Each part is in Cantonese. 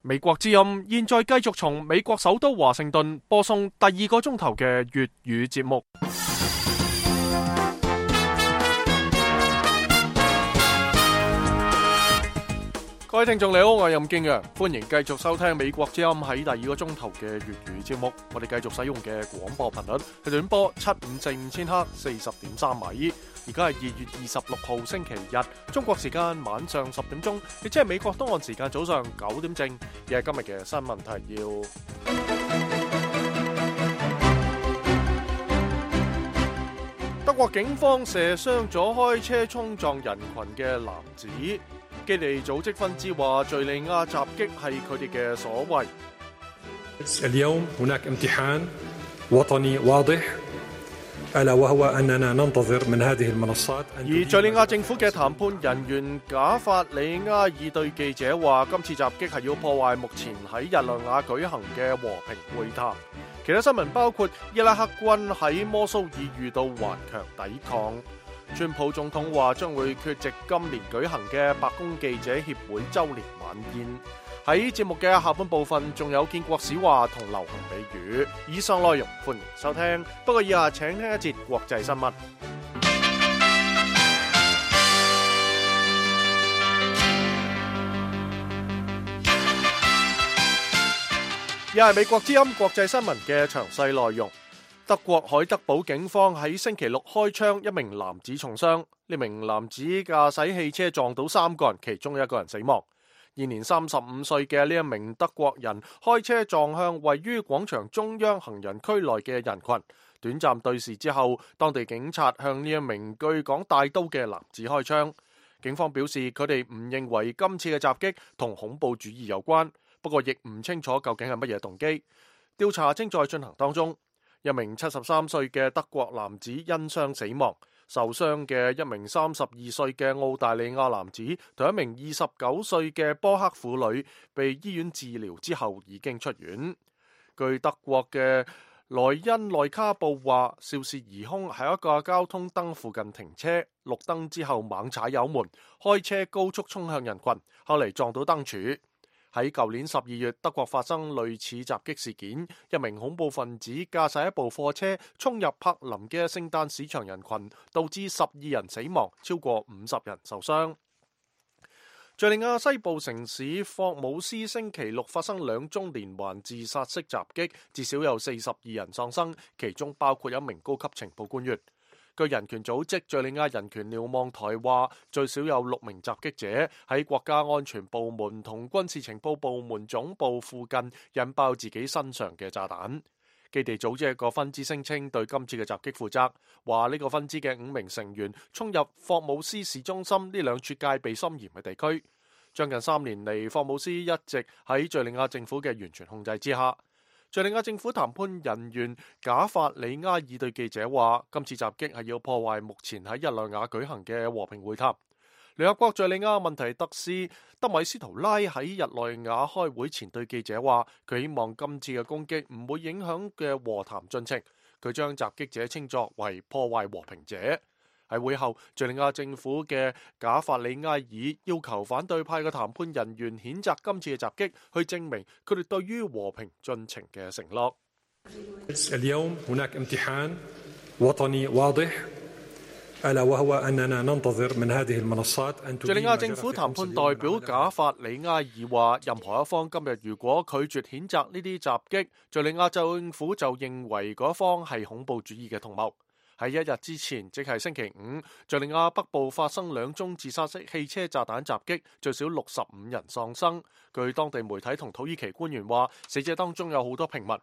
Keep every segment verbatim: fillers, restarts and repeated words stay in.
美國之音現在繼續從美國首都華盛頓播送第二個鐘頭嘅粵語節目。各位聽眾你好，我係任敬陽，歡迎繼續收聽美國之音喺第二個鐘頭嘅粵語節目。我哋繼續使用嘅廣播頻率係短波七五四五千赫四十點三米。而家係二月二十六號星期日，中國時間晚上十點鐘，亦即係美國東岸時間早上九點正。而係今日嘅新聞提要：德國警方射傷咗開車衝撞人群嘅男子。基地組織分支話，敘利亞襲擊係佢哋嘅所為。اليوم هناك امتحان وطني واضح ألا وهو أننا ننتظر من هذه المنصات。而敘利亞政府嘅談判人員賈法里亞爾對記者話，今次襲擊係要破壞目前喺日內瓦舉行嘅和平會談。其他新聞包括伊拉克軍喺摩蘇爾遇到頑強抵抗。川普總統話將會缺席今年舉行嘅白宮記者協會周年晚宴。喺節目嘅下半部分，仲有建國史話同流行美語。以上內容歡迎收聽。不過以下請聽一節國際新聞。又係美國之音國際新聞嘅詳細內容。德國海德堡警方喺星期六開槍，一名男子重傷。呢名男子駕駛汽車撞到三個人，其中一個人死亡。現年三十五歲嘅呢一名德國人開車撞向位於廣場中央行人區內嘅人群，短暫對視之後，當地警察向呢一名據講帶刀嘅男子開槍。警方表示佢哋唔認為今次嘅襲擊同恐怖主義有關，不過亦唔清楚究竟係乜嘢動機。調查正在進行當中。一名七十三歲嘅德國男子因傷死亡，受傷嘅一名三十二歲嘅澳大利亞男子同一名二十九歲嘅波克婦女被醫院治療之後已經出院。據德國嘅萊茵內卡報話，肇事疑兇喺一個交通燈附近停車，綠燈之後猛踩油門，開車高速衝向人群，後嚟撞到燈柱。喺舊年十二月，德國發生類似襲擊事件，一名恐怖分子駕駛一部貨車衝入柏林嘅聖誕市場人群，導致十二人死亡，超過五十人受傷。敘利亞西部城市霍姆斯星期六發生兩宗連環自殺式襲擊，至少有四十二人喪生，其中包括一名高級情報官員。據人權組織敘利亞人權瞭望台話，最少有六名襲擊者喺國家安全部門同軍事情報部門總部附近引爆自己身上嘅炸彈。基地組織一個分支聲稱對今次嘅襲擊負責，話呢個分支嘅五名成員衝入霍姆斯市中心呢兩處戒備森嚴嘅地區。將近三年嚟，霍姆斯一直喺敘利亞政府嘅完全控制之下。敘利亞政府談判人員賈法里亞爾對記者話，今次襲擊係要破壞目前喺日內瓦舉行嘅和平會談。聯合國敘利亞問題特使德米斯圖拉喺日內瓦開會前對記者話，佢希望今次嘅攻擊唔會影響嘅和談進程。佢將襲擊者稱作為破壞和平者。喺會後，敘利亞政府嘅賈法里亞爾要求反對派嘅談判人員譴責今次嘅襲擊，去證明佢哋對於和平進程嘅承諾。اليوم هناك امتحان وطني واضح ألا وهو أننا ننتظر من هذه المنصات أن تدين。敘利亞政府談判代表賈法里亞爾話，任何一方今日如果拒絕譴責呢啲襲擊，敘利亞政府就認為嗰方係恐怖主義嘅同謀。喺一日之前，即係星期五，敘利亞北部發生兩宗自殺式汽車炸彈襲擊，最少六十五人喪生。據當地媒體同土耳其官員話，死者當中有好多平民。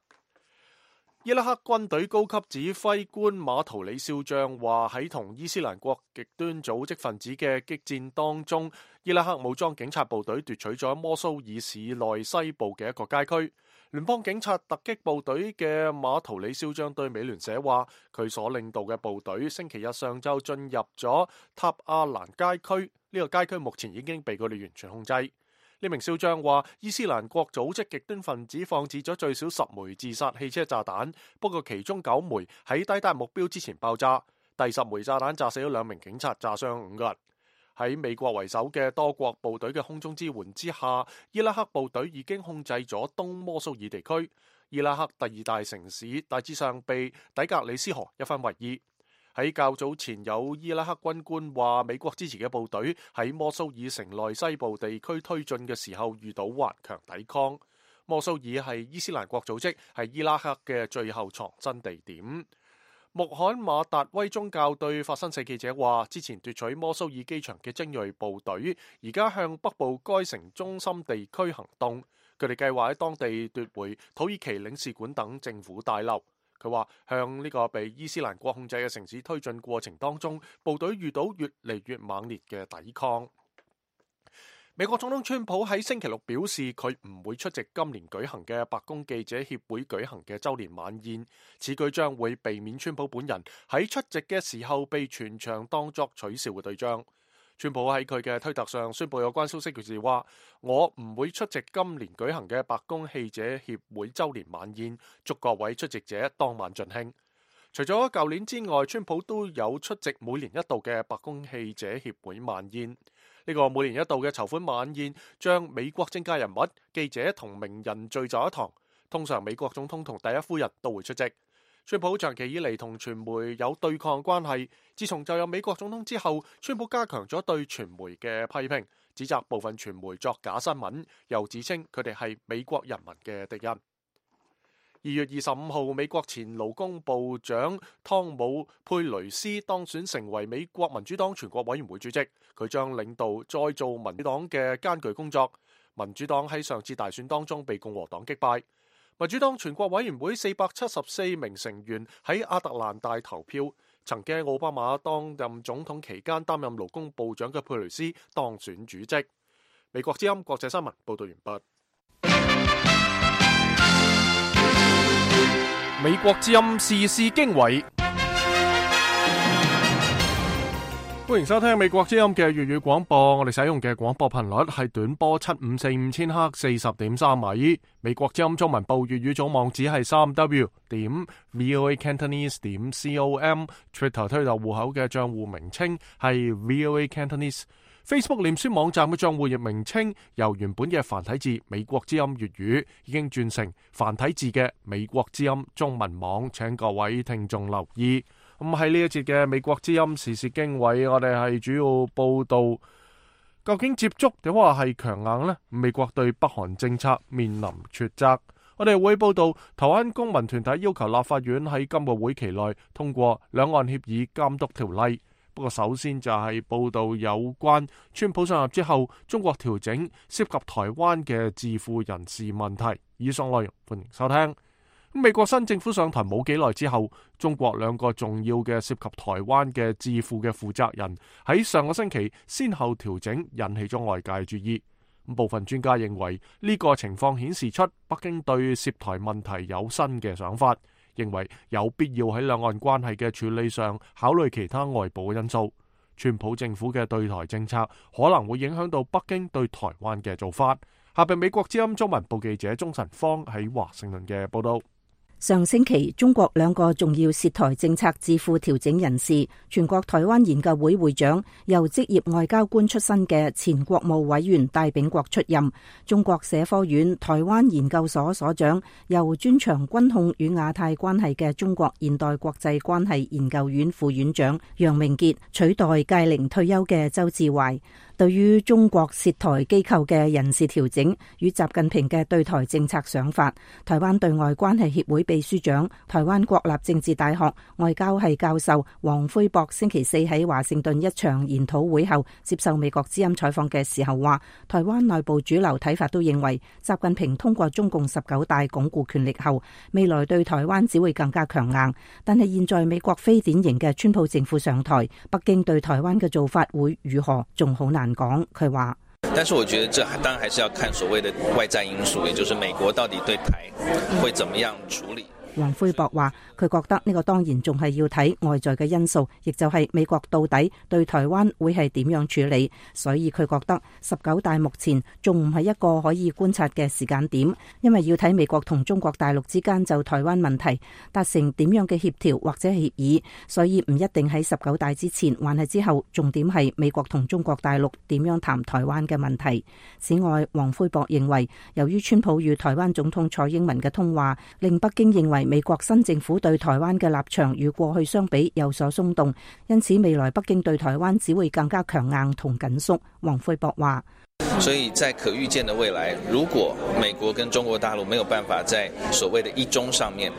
伊拉克軍隊高級指揮官馬圖里少將話，喺同伊斯蘭國極端組織分子嘅激戰當中，伊拉克武裝警察部隊奪取咗摩蘇爾市內西部嘅一個街區。聯邦警察突擊部隊嘅馬圖里少將對美聯社話，佢所領導嘅部隊星期日上晝進入咗塔亞蘭街區，呢、這個街區目前已經被佢哋完全控制。呢名少將話，伊斯蘭國組織極端分子放置咗最少十枚自殺汽車炸彈，不過其中九枚喺抵達目標之前爆炸，第十枚炸彈炸死咗兩名警察，炸傷五個人。喺美國為首嘅多國部隊嘅空中支援之下，伊拉克部隊已經控制咗東摩蘇爾地區。伊拉克第二大城市大致上被底格里斯河一分為二。喺較早前，有伊拉克軍官話，美國支持嘅部隊喺摩蘇爾城內西部地區推進嘅時候遇到頑強抵抗。摩蘇爾係伊斯蘭國組織，係伊拉克嘅最後藏身地點。穆罕馬達威宗教對法新社記者話，之前奪取摩蘇爾機場嘅精銳部隊而家向北部該城中心地區行動，佢哋計劃喺當地奪回土耳其領事館等政府大樓。佢話向呢個被伊斯蘭國控制嘅城市推進過程當中，部隊遇到越嚟越猛烈嘅抵抗。美國總統川普喺星期六表示，佢唔會出席今年舉行嘅白宮記者協會舉行嘅周年晚宴，此舉將會避免川普本人喺出席嘅時候被全場當作取笑嘅對象。川普喺佢嘅推特上宣布有關消息時話，我唔會出席今年舉行嘅白宮記者協會周年晚宴，祝各位出席者當晚盡興。除咗舊年之外，川普都有出席每年一度嘅白宮記者協會晚宴。呢個每年一度嘅籌款晚宴將美國政界人物、記者同名人聚在一堂，通常美國總統同第一夫人都會出席。川普長期以嚟同傳媒有對抗關係，自從就任美國總統之後，川普加強咗對傳媒嘅批評，指責部分傳媒作假新聞，又指稱佢哋係美國人民嘅敵人。二月二十五號，美國前勞工部長湯姆佩雷斯當選成為美國民主黨全國委員會主席，佢將領導再造民主黨嘅艱巨工作。民主黨喺上次大選當中被共和黨擊敗。民主黨全國委員會四百七十四名成員喺亞特蘭大投票，曾經奧巴馬當任總統期間擔任勞工部長嘅佩雷斯當選主席。美國之音國際新聞報道完畢。美國之音時事經緯，歡迎收聽美國之音嘅粵語廣播。我哋使用嘅廣播頻率係短波七五四五千赫四十點三米。美國之音中文部粵語總網址係三 w 點 voa cantonese 點 com。Twitter 推特戶口嘅賬戶名稱係 voa cantonese。Facebook 臉書網站嘅賬戶頁名稱由原本嘅繁體字美國之音粵語已經轉成繁體字嘅美國之音中文網，請各位聽眾留意。咁喺呢一節嘅美國之音時事經緯，我哋係主要報道究竟接觸點話係強硬呢？美國對北韓政策面臨抉擇。我哋會報道台灣公民團體要求立法院喺今個會期內通過兩岸協議監督條例。不過首先就係報道有關川普上任之後，中國調整涉及台灣嘅智庫人士問題。以上內容歡迎收聽。美國新政府上台冇幾耐之後，中國兩個重要嘅涉及台灣嘅智庫嘅負責人喺上個星期先後調整，引起咗外界注意。部分專家認為呢個情況顯示出北京對涉台問題有新嘅想法，認為有必要喺兩岸關係嘅處理上考慮其他外部嘅因素。川普政府嘅對台政策可能會影響到北京對台灣嘅做法。下邊美國之音中文部記者鍾晨芳喺華盛頓嘅報道。上星期，中國兩個重要涉台政策智庫調整人士，全國台灣研究會會長，由職業外交官出身嘅前國務委員戴秉國出任；中國社科院台灣研究所所長，由專長軍控與亞太關係嘅中國現代國際關係研究院副院長楊明傑取代屆齡退休嘅周志懷。對於中國涉台機構嘅人事調整與習近平嘅對台政策想法，台灣對外關係協會秘書長、台灣國立政治大學外交系教授黃輝博星期四喺華盛頓一場研討會後接受美國之音採訪嘅時候話，台灣內部主流睇法都認為，習近平通過中共十九大鞏固權力後，未來對台灣只會更加強硬。但係現在美國非典型嘅川普政府上台，北京對台灣嘅做法會如何，仲好難講。佢話，但是我覺得這當然還是要看所謂的外在因素，也就是美國到底對台會怎麼樣處理。黃奎博話，佢覺得呢個當然仲係要睇外在嘅因素，亦就係美國到底對台灣會係點樣處理，所以佢覺得十九大目前仲唔係一個可以觀察嘅時間點，因為要睇美國同中國大陸之間就台灣問題達成點樣嘅協調或者協議，所以唔一定喺十九大之前還係之後，重點係美國同中國大陸點樣談台灣嘅問題。此外，黃奎博認為，由於川普與台灣總統蔡英文嘅通話，令北京認為美國新政府對台灣嘅立場與過去相比有所鬆動，因此未來北京對台灣只會更加強硬同緊縮。黃奎博話，所以在可預見的未來，如果美國跟中國大陸沒有辦法在所謂的一中上面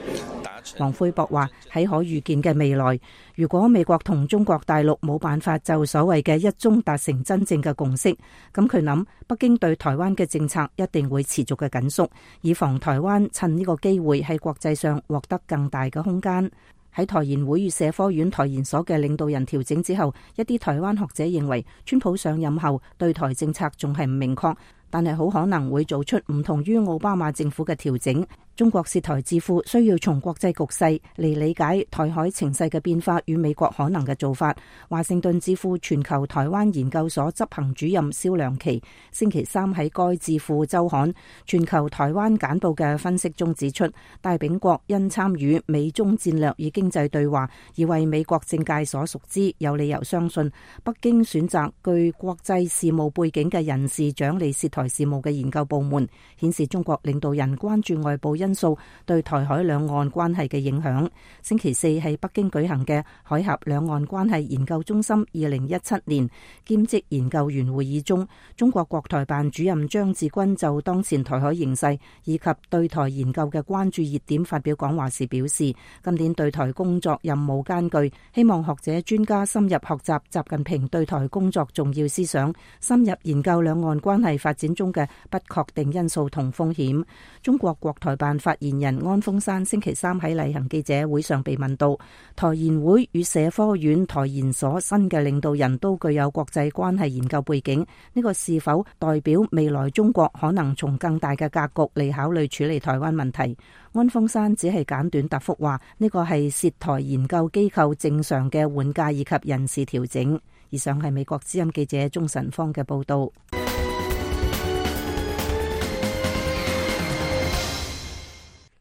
達成，黃奎博話，喺可預見嘅未來，如果美國同中國大陸冇辦法就所謂嘅一中達成真正嘅共識，咁佢諗北京對台灣嘅政策一定會持續嘅緊縮，以防台灣趁呢個機會喺國際上獲得更大嘅空間。喺台研會與社科院台研所嘅領導人調整之後，一啲台灣學者認為，川普上任後對台政策仲係唔明確，但係好可能會做出唔同於奧巴馬政府嘅調整。中國涉台智庫需要從國際局勢嚟理解台海情勢嘅變化與美國可能嘅做法。華盛頓智庫全球台灣研究所執行主任蕭良琪星期三喺該智庫週刊《全球台灣簡報》嘅分析中指出，大炳國因參與美中戰略與經濟對話而為美國政界所熟知，有理由相信北京選擇具國際事務背景嘅人士掌理涉台事務嘅研究部門，顯示中國領導人關注外部因素對台海兩岸關係嘅影響。星期四喺北京舉行嘅海峽兩岸關係研究中心二零一七年兼職研究員會議中，中國國台辦主任張志軍就當前台海形勢以及對台研究嘅關注熱點發表講話時表示，今年對台工作任務艱巨，希望學者專家深入學習習近平對台工作重要思想，深入研究兩岸關係發展中嘅不確定因素同風險。中國國台辦發言人安峰山星期三喺例行記者會上被問到，台研會與社科院台研所新嘅領導人都具有國際關係研究背景，呢個是否代表未來中國可能從更大嘅格局嚟考慮處理台灣問題？安峰山只係簡短答覆話，呢個係涉台研究機構正常嘅換屆以及人事調整。以上係美國之音記者鍾晨芳嘅報道。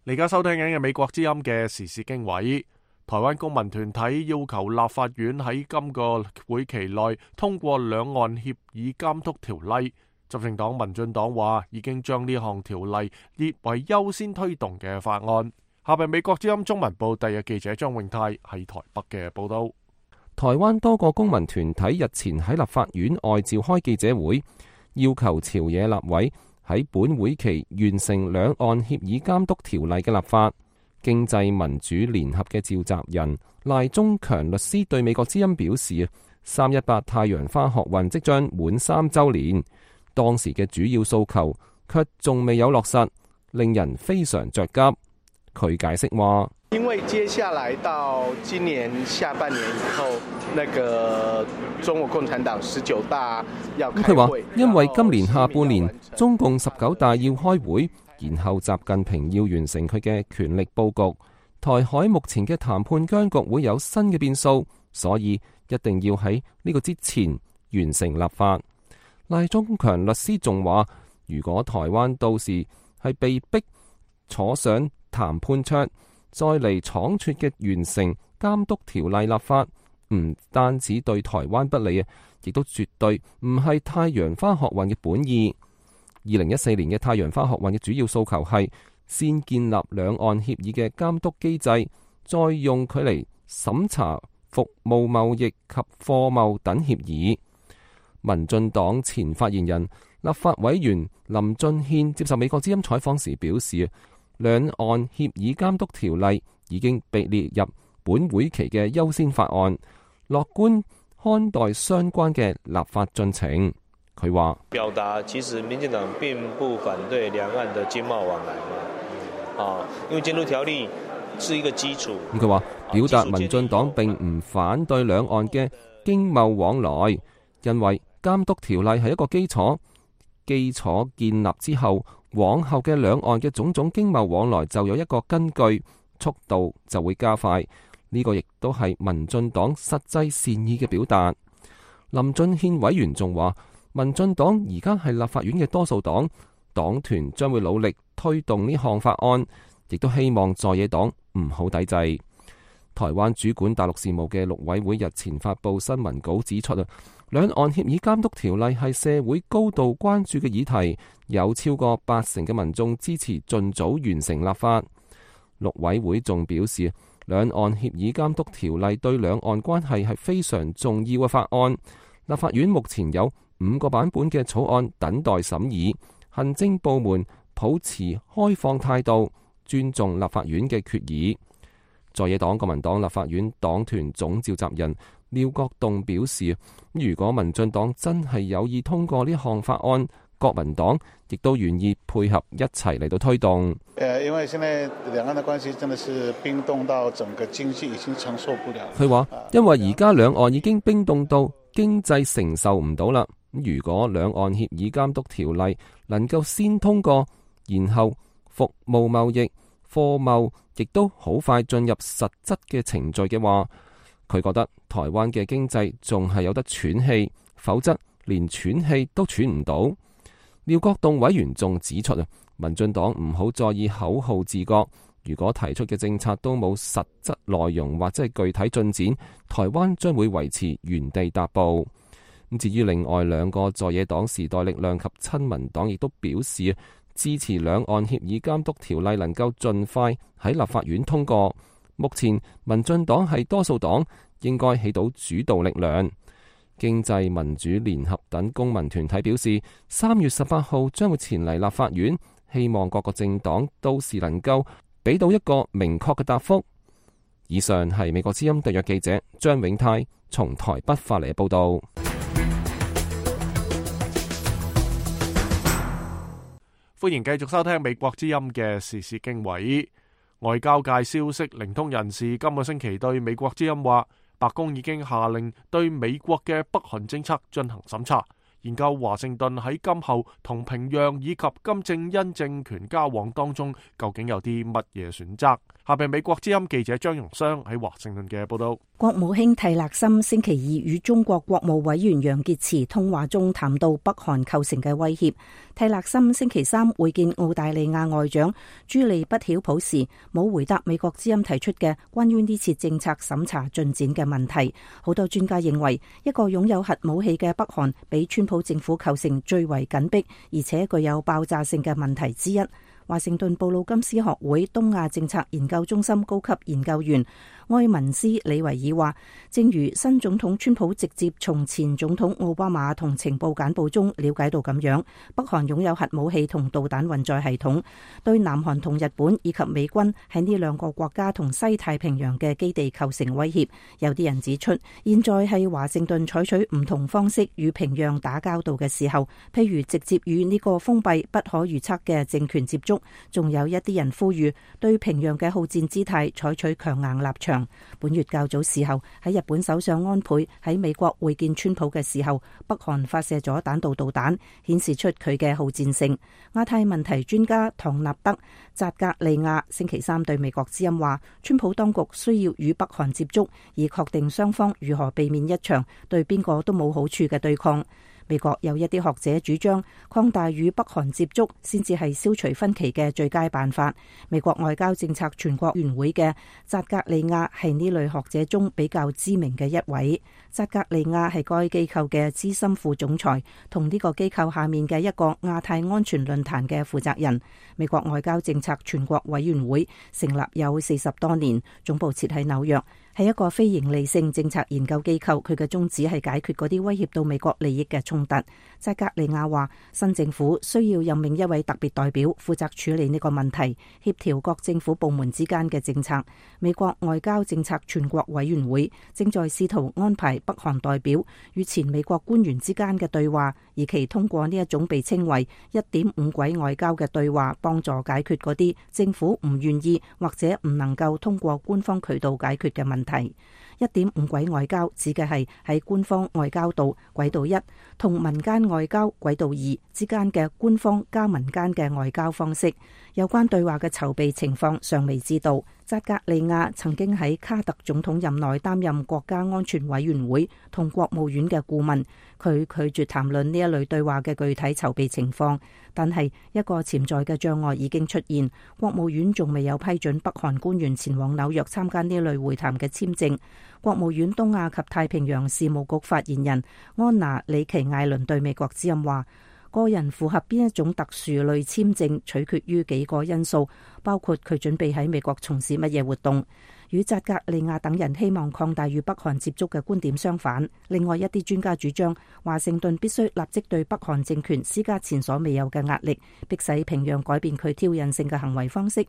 你而家收聽緊嘅美國之音嘅時事經緯，台灣公民團體要求立法院喺今個會期內通過兩岸協議監督條例。執政黨民進黨話已經將呢項條例列為優先推動嘅法案。下邊美國之音中文部第日記者張永泰喺台北嘅報道。台灣多個公民團體日前喺立法院外召開記者會，要求朝野立委喺本會期完成兩岸協議監督條例嘅立法。經濟民主聯合嘅召集人賴中強律師對美國之音表示，三一八太陽花學運即將滿三週年，當時嘅主要訴求卻仲未有落實，令人非常着急。佢解釋話，因為接下來到今年下半年以後，那個中國共產黨十九大要開會。佢話，因為今年下半年中共十九大要開會，然後習近平要完成佢嘅權力佈局，台海目前嘅談判僵局會有新嘅變數，所以一定要喺呢個之前完成立法。賴中強律師仲話，如果台灣到時係被逼坐上談判桌，再嚟倉促嘅完成監督條例立法，唔單止對台灣不利啊，亦都絕對唔係太陽花學運嘅本意。二零一四年嘅太陽花學運嘅主要訴求係先建立兩岸協議嘅監督機制，再用佢嚟審查服務貿易及貨貿等協議。民進黨前發言人立法委員林俊憲接受美國之音採訪時表示，兩岸協議監督條例已經被列入本會期嘅優先法案，樂觀看待相關嘅立法進程。佢話：表達其實民進黨並不反對兩岸的經貿往來嘛，啊，因為監督條例是一個基礎。咁佢話表達民進黨並唔反對兩岸嘅經貿往來，因為監督條例係一個基礎，基礎建立之後，往後嘅兩岸嘅種種經貿往來就有一個根據，速度就會加快。呢個亦都係民進黨實際善意嘅表達。林俊憲委員仲話，民進黨而家係立法院嘅多數黨，黨團將會努力推動呢項法案，亦都希望在野黨唔好抵制。台灣主管大陸事務嘅陸委會日前發布新聞稿指出啊，兩岸協議監督條例係社會高度關注嘅議題，有超過八成嘅民眾支持盡早完成立法。陸委會仲表示，兩岸協議監督條例對兩岸關係係非常重要嘅法案。立法院目前有五個版本嘅草案等待審議，行政部門抱持開放態度，尊重立法院嘅決議。在野黨國民黨立法院黨團總召集人廖國棟表示，如果民進黨真係有意通過呢項法案，國民黨亦都願意配合一齊嚟到推動。誒，因為現在兩岸的關係真的是冰凍到整個經濟已經承受不了。佢話，因為而家兩岸已經冰凍到經濟承受唔到啦。如果兩岸協議監督條例能夠先通過，然後服務貿易、貨貿亦都好快進入實質嘅程序嘅話，佢覺得台灣嘅經濟仲係有得喘氣，否則連喘氣都喘唔到。廖國棟委員仲指出啊，民進黨唔好在意口號治國，如果提出嘅政策都冇實質內容或者係具體進展，台灣將會維持原地踏步。咁至於另外兩個在野黨時代力量及親民黨亦都表示支持兩岸協議監督條例能夠盡快喺立法院通過。目前民進黨係多數黨，應該起到主導力量。經濟民主聯合等公民團體表示，三月十八號將會前嚟立法院，希望各個政黨到時能夠俾到一個明確嘅答覆。以上係美國之音特約記者張永泰從台北發嚟嘅報道。歡迎繼續收聽美國之音嘅時事經緯。外交界消息靈通人士今個星期對美國之音話，白宮已經下令對美國嘅北韓政策進行審查，研究華盛頓喺今後同平壤以及金正恩政權交往當中究竟有啲乜嘢選擇。下邊美國之音記者張容湘喺華盛頓嘅報道。國務卿蒂勒森星期二與中國國務委員楊潔篪通話中談到北韓構成嘅威脅。蒂勒森星期三會見澳大利亞外長朱利不曉普時，冇回答美國之音提出嘅關於呢次政策審查進展嘅問題。好多專家認為，一個擁有核武器嘅北韓比川普政府構成最為緊迫，而且具有爆炸性嘅問題之一。華盛頓布魯金斯學會東亞政策研究中心高級研究員埃文斯李維爾話，正如新總統川普直接從前總統奧巴馬同情報簡報中了解到咁樣，北韓擁有核武器同導彈運載系統，對南韓同日本以及美軍喺呢兩個國家同西太平洋嘅基地構成威脅。有啲人指出，現在係華盛頓採取唔同方式與平壤打交道嘅時候，譬如直接與呢個封閉不可預測嘅政權接觸，仲有一啲人呼籲對平壤嘅好戰姿態採取強硬立場。本月較早時候，喺日本首相安倍喺美國會見川普嘅時候，北韓發射咗彈道導彈，顯示出佢嘅好戰性。亞太問題專家唐納德扎格利亞星期三對美國之音話，川普當局需要與北韓接觸，以確定雙方如何避免一場對邊個都冇好處嘅對抗。美國有一啲學者主張，擴大與北韓接觸先至係消除分歧嘅最佳辦法。美國外交政策全國委員會嘅扎格利亞係呢類學者中比較知名嘅一位。扎格利亞係該機構嘅資深副總裁，同呢個機構下面嘅一個亞太安全論壇嘅負責人。美國外交政策全國委員會成立有四十多年，總部設喺紐約，係一個非營利性政策研究機構。佢嘅宗旨係解決嗰啲威脅到美國利益嘅衝突。扎格利亞話，新政府需要任命一位特別代表負責處理呢個問題，協調各政府部門之間嘅政策。美國外交政策全國委員會正在試圖安排北韓代表與前美國官員之間嘅對話，而其通過呢一種被稱為一點五軌外交嘅對話，幫助解決嗰啲政府唔願意或者唔能夠通過官方渠道解決嘅問題。一點五軌外交指嘅係喺官方外交道軌道一同民間外交軌道二之間嘅官方加民間嘅外交方式。有關對話嘅籌備情況尚未知道。扎格利亞曾經喺卡特總統任內擔任國家安全委員會同國務院嘅顧問，佢拒絕談論呢一類對話嘅具體籌備情況。但係一個潛在嘅障礙已經出現，國務院仲未有批准北韓官員前往紐約參加呢類會談嘅簽證。國務院東亞及太平洋事務局發言人安娜里奇艾倫對美國之音話，個人符合邊一種特殊類簽證取決於幾個因素，包括佢準備喺美國從事乜嘢活動。與扎格利亞等人希望擴大與北韓接觸嘅觀點相反，另外一啲專家主張華盛頓必須立即對北韓政權施加前所未有嘅壓力，迫使平壤改變佢挑釁性嘅行為方式。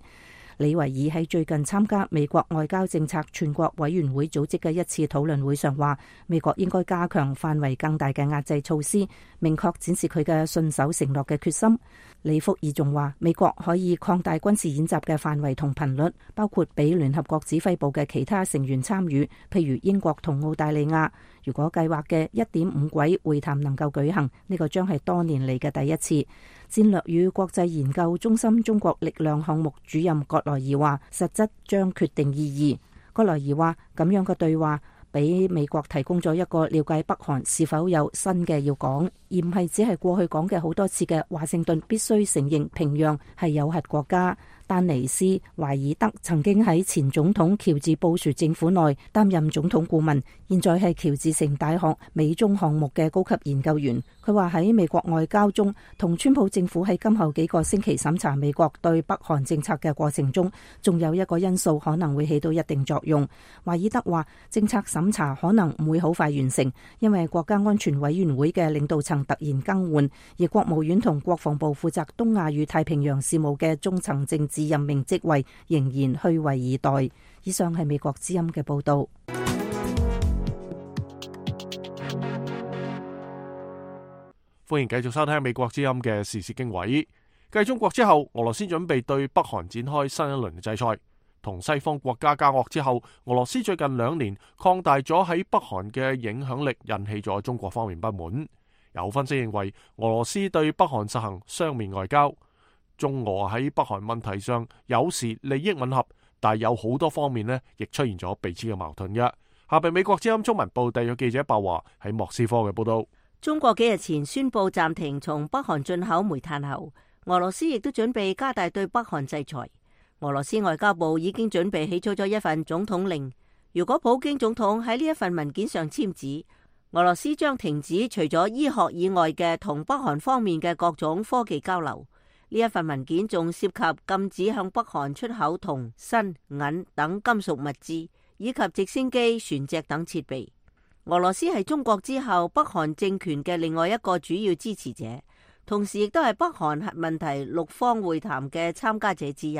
李維爾喺最近參加美國外交政策全國委員會組織嘅一次討論會上話，美國應該加強範圍更大嘅壓制措施，明確展示佢嘅信守承諾嘅決心。李福爾仲話，美國可以擴大軍事演習嘅範圍同頻率，包括俾聯合國指揮部嘅其他成員參與，譬如英國同澳大利亞。如果計劃嘅一點五軌會談能夠舉行，呢個將係多年嚟嘅第一次。戰略與國際研究中心中國力量項目主任葛萊爾話，實質將決定意義。葛萊爾話，咁樣嘅對話俾美國提供咗一個了解北韓是否有新嘅要講，而唔係只係過去講嘅好多次嘅華盛頓必須承認平壤係有核國家。丹尼斯·懷爾德曾經喺前總統喬治布殊政府內擔任總統顧問，現在係喬治城大學美中項目嘅高級研究員。佢話喺美國外交中，同川普政府喺今後幾個星期審查美國對北韓政策嘅過程中，仲有一個因素可能會起到一定作用。懷爾德話，政策審查可能唔會好快完成，因為國家安全委員會嘅領導層突然更換，而國務院同國防部負責東亞與太平洋事務嘅中層政治任命職位仍然虛位以待。以上係美國之音嘅報道。歡迎繼續收聽美國之音嘅時事經緯。繼中國之後，俄羅斯準備對北韓展開新一輪嘅制裁。同西方國家交惡之後，俄羅斯最近兩年擴大咗喺北韓嘅影響力，引起咗中國方面不滿。有分析認為，俄羅斯對北韓實行雙面外交。中俄喺北韓問題上有時利益吻合，但係有好多方面呢亦出現咗彼此嘅矛盾嘅。下邊美國之音中文部特約記者白華喺莫斯科嘅報道。中國幾日前宣布暫停從北韓進口煤炭後，俄羅斯亦都準備加大對北韓制裁。俄羅斯外交部已經準備起草咗一份總統令，如果普京總統喺呢一份文件上簽字，俄羅斯將停止除咗醫學以外嘅同北韓方面嘅各種科技交流。呢一份文件仲涉及禁止向北韓出口銅、鋅、銀等金屬物資，以及直升機、船隻等設備。俄羅斯係中國之後北韓政權嘅另外一個主要支持者，同時亦都係北韓核問題六方會談嘅參加者之一。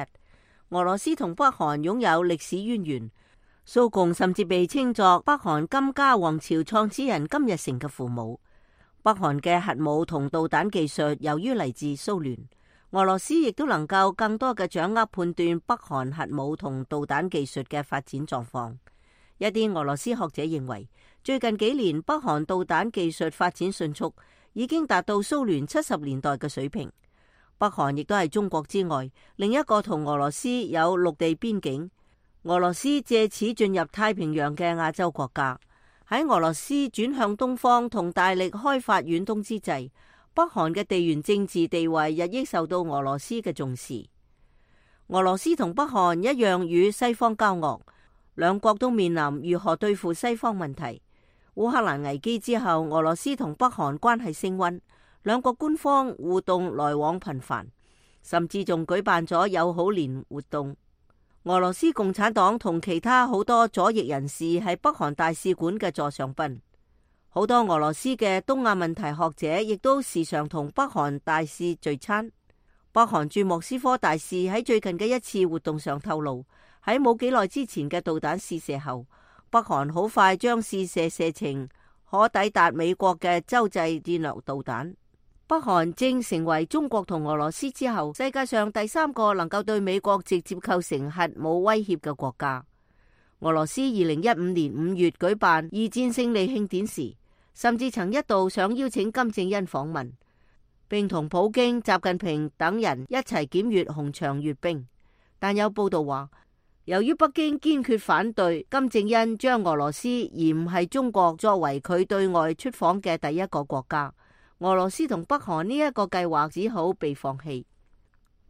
俄羅斯同北韓擁有歷史淵源，蘇共甚至被稱作北韓金家王朝創始人金日成嘅父母。北韓嘅核武同導彈技術由於嚟自蘇聯，俄羅斯亦都能夠更多嘅掌握判斷北韓核武同導彈技術嘅發展狀況。一啲俄羅斯學者認為，最近幾年北韓導彈技術發展迅速，已經達到蘇聯七十年代嘅水平。北韓亦都係中國之外另一個同俄羅斯有陸地邊境，俄羅斯借此進入太平洋嘅亞洲國家。喺俄羅斯轉向東方同大力開發遠東之際，北韓嘅地緣政治地位日益受到俄羅斯嘅重視。俄羅斯同北韓一樣與西方交惡，兩國都面臨如何對付西方問題。烏克蘭危機之後，俄羅斯同北韓關係升溫，兩國官方互動來往頻繁，甚至仲舉辦咗友好年活動。俄羅斯共產黨同其他好多左翼人士係北韓大使館嘅座上賓，好多俄羅斯嘅東亞問題學者亦都時常同北韓大使聚餐。北韓駐莫斯科大使喺最近嘅一次活動上透露，喺冇幾耐之前嘅導彈試射後，北韓好快將試射射程可抵達美國嘅洲際戰略導彈。北韓正成為中國同俄羅斯之後世界上第三個能夠對美國直接構成核武威脅嘅國家。俄羅斯二零一五年五月舉辦二戰勝利慶典時，甚至曾一度想邀請金正恩訪問，並同普京、習近平等人一齊檢閱紅場閱兵。但有報道話，由於北京堅決反對金正恩將俄羅斯而唔係中國作為佢對外出訪嘅第一個國家，俄羅斯同北韓呢一個計劃只好被放棄。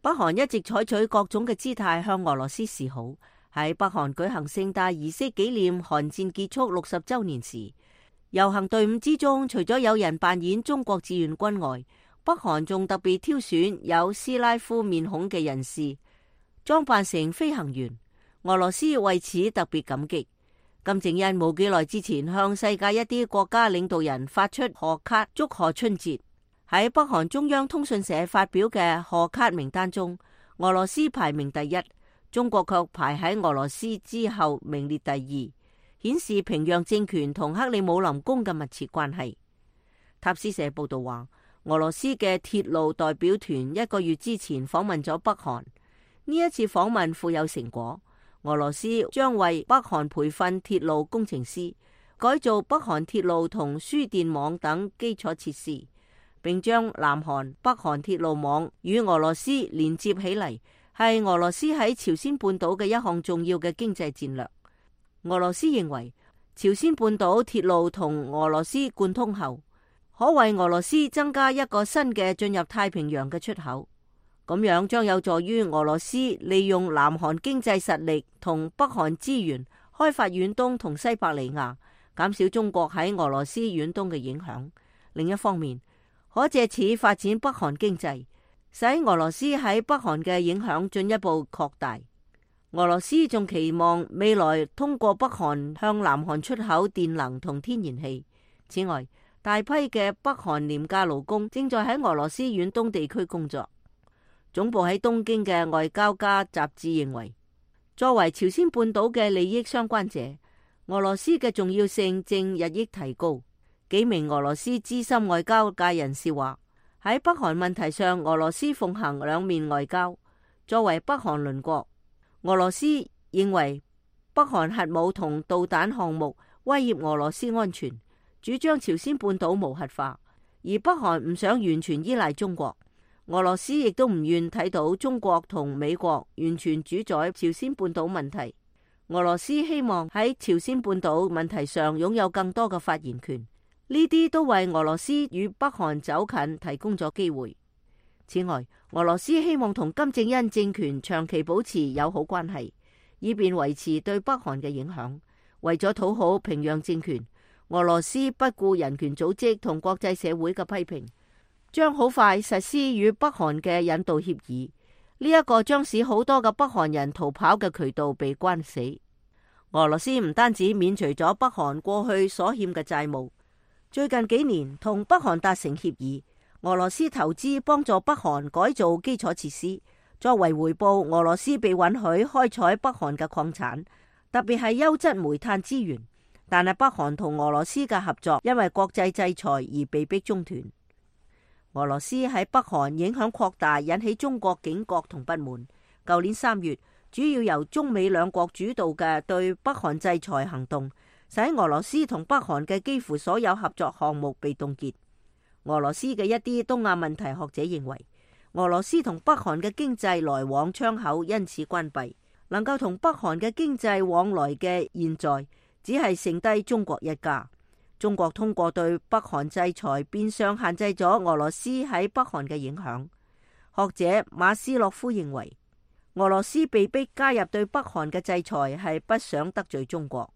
北韓一直採取各種嘅姿態向俄羅斯示好。喺北韓舉行盛大儀式紀念韓戰結束六十週年時，遊行隊伍之中除咗有人扮演中國志願軍外，北韓仲特別挑選有斯拉夫面孔嘅人士裝扮成飛行員。俄羅斯為此特別感激。金正恩冇幾耐之前向世界一啲國家領導人發出賀卡祝賀春節。喺北韓中央通訊社發表嘅賀卡名單中，俄羅斯排名第一，中國卻排喺俄羅斯之後名列第二，顯示平壤政權同克里姆林宮嘅密切關係。塔斯社報道話，俄羅斯嘅鐵路代表團一個月之前訪問咗北韓，呢一次訪問富有成果。俄羅斯將為北韓培訓鐵路工程師，改造北韓鐵路同輸電網等基礎設施，並將南韓、北韓鐵路網與俄羅斯連接起嚟，係俄羅斯喺朝鮮半島嘅一項重要嘅經濟戰略。俄羅斯認為，朝鮮半島鐵路同俄羅斯貫通後，可為俄羅斯增加一個新嘅進入太平洋嘅出口。咁樣將有助於俄羅斯利用南韓經濟實力同北韓資源開發遠東同西伯利亞，減少中國喺俄羅斯遠東嘅影響。另一方面，可借此發展北韓經濟，使俄羅斯喺北韓嘅影響進一步擴大。俄羅斯仲期望未來通過北韓向南韓出口電能同天然氣。此外，大批嘅北韓廉價勞工正在喺俄羅斯遠東地區工作。總部喺東京嘅外交家雜誌認為，作為朝鮮半島嘅利益相關者，俄羅斯嘅重要性正日益提高。幾名俄羅斯資深外交界人士話，喺北韓問題上，俄羅斯奉行兩面外交。作為北韓鄰國，俄羅斯認為北韓核武同導彈項目威脅俄羅斯安全，主張朝鮮半島無核化，而北韓唔想完全依賴中國。俄羅斯亦都唔願睇到中國同美國完全主宰朝鮮半島問題。俄羅斯希望喺朝鮮半島問題上擁有更多嘅發言權，呢啲都為俄羅斯與北韓走近提供咗機會。此外，俄羅斯希望同金正恩政權長期保持友好關係，以便維持對北韓嘅影響。為咗討好平壤政權，俄羅斯不顧人權組織同國際社會嘅批評，將好快實施與北韓嘅引渡協議，呢、這、一個將使好多嘅北韓人逃跑嘅渠道被關死。俄羅斯唔單止免除咗北韓過去所欠嘅債務，最近幾年同北韓達成協議，俄羅斯投資幫助北韓改造基礎設施，作為回報，俄羅斯被允許開採北韓嘅礦產，特別係優質煤炭資源。但係北韓同俄羅斯嘅合作因為國際制裁而被迫中斷。俄羅斯喺北韓影響擴大，引起中國警覺同不滿。舊年三月，主要由中美兩國主導嘅對北韓制裁行動，使俄羅斯同北韓嘅幾乎所有合作項目被凍結。俄羅斯嘅一啲東亞問題學者認為，俄羅斯同北韓嘅經濟來往窗口因此關閉，能夠同北韓嘅經濟往來嘅現在，只係剩低中國一家。中國通過對北韓制裁，變相限制咗俄羅斯喺北韓嘅影響。學者馬斯洛夫認為，俄羅斯被逼加入對北韓嘅制裁，係不想得罪中國。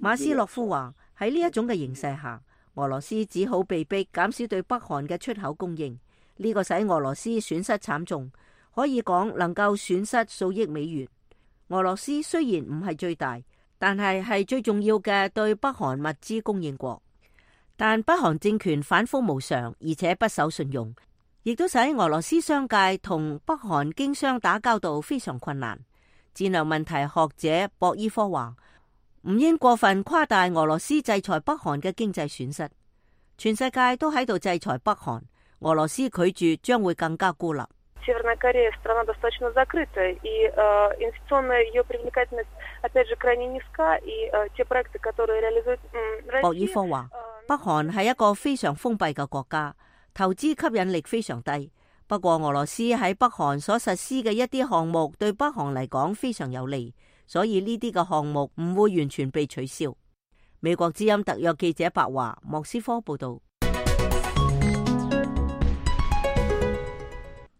馬斯洛夫話，喺呢一種嘅形勢下，俄羅斯只好被逼減少對北韓嘅出口供應。呢個使俄羅斯損失慘重，可以講能夠損失數億美元。俄羅斯雖然唔係最大，但係係最重要嘅對北韓物資供應國。但北韓政權反覆無常，而且不守信用，亦都使俄羅斯商界同北韓經商打交道非常困難。戰略問題學者博伊科話，唔應過分誇大俄羅斯制裁北韓嘅經濟損失。全世界都喺度制裁北韓，俄羅斯拒絕將會更加孤立。Северная Корея страна достаточно закрытая, и инвестиционная ее привлекательность опять же крайне низка, и те проекты, которые реализует Россия。博爾科話，北韓係一個非常封閉嘅國家，投資吸引力非常低。不過俄羅斯喺北韓所實施嘅一啲項目對北韓嚟講非常有利，所以呢啲嘅項目唔會完全被取消。美國之音特約記者白華，莫斯科報道。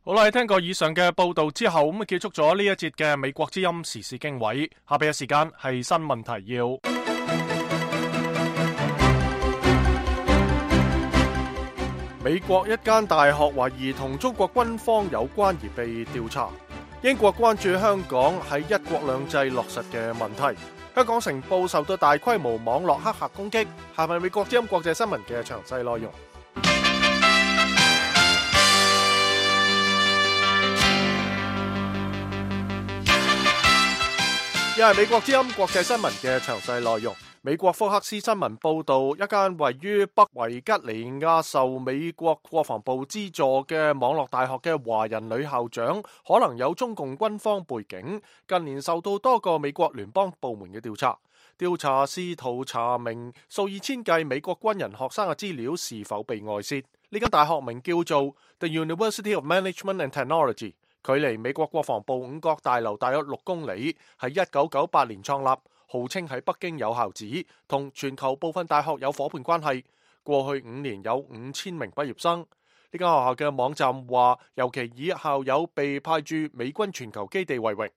好啦，聽過以上嘅報道之後，咁啊結束咗呢一節嘅美國之音時事經緯。下邊嘅時間係新聞提要。美國一間大學懷疑同中國軍方有關而被調查。英國關注香港喺一國兩制落實嘅問題。香港城報受到大規模網絡黑客攻擊。下邊美國之音國際新聞嘅詳細內容。又係美國之音國際新聞嘅詳細內容。美國福克斯新聞報道，一間位於北維吉尼亞受美國國防部資助嘅網絡大學嘅華人女校長可能有中共軍方背景，近年受到多個美國聯邦部門嘅調查。調查試圖查明數以千計美國軍人學生嘅資料是否被外泄。呢間大學名叫做 The University of Management and Technology。距離美國國防部五角大樓大約六公里，喺一九九八年創立，號稱喺北京有校址，同全球部分大學有夥伴關係。過去五年有五千名畢業生。呢間學校嘅網站話，尤其以校友被派駐美軍全球基地為榮。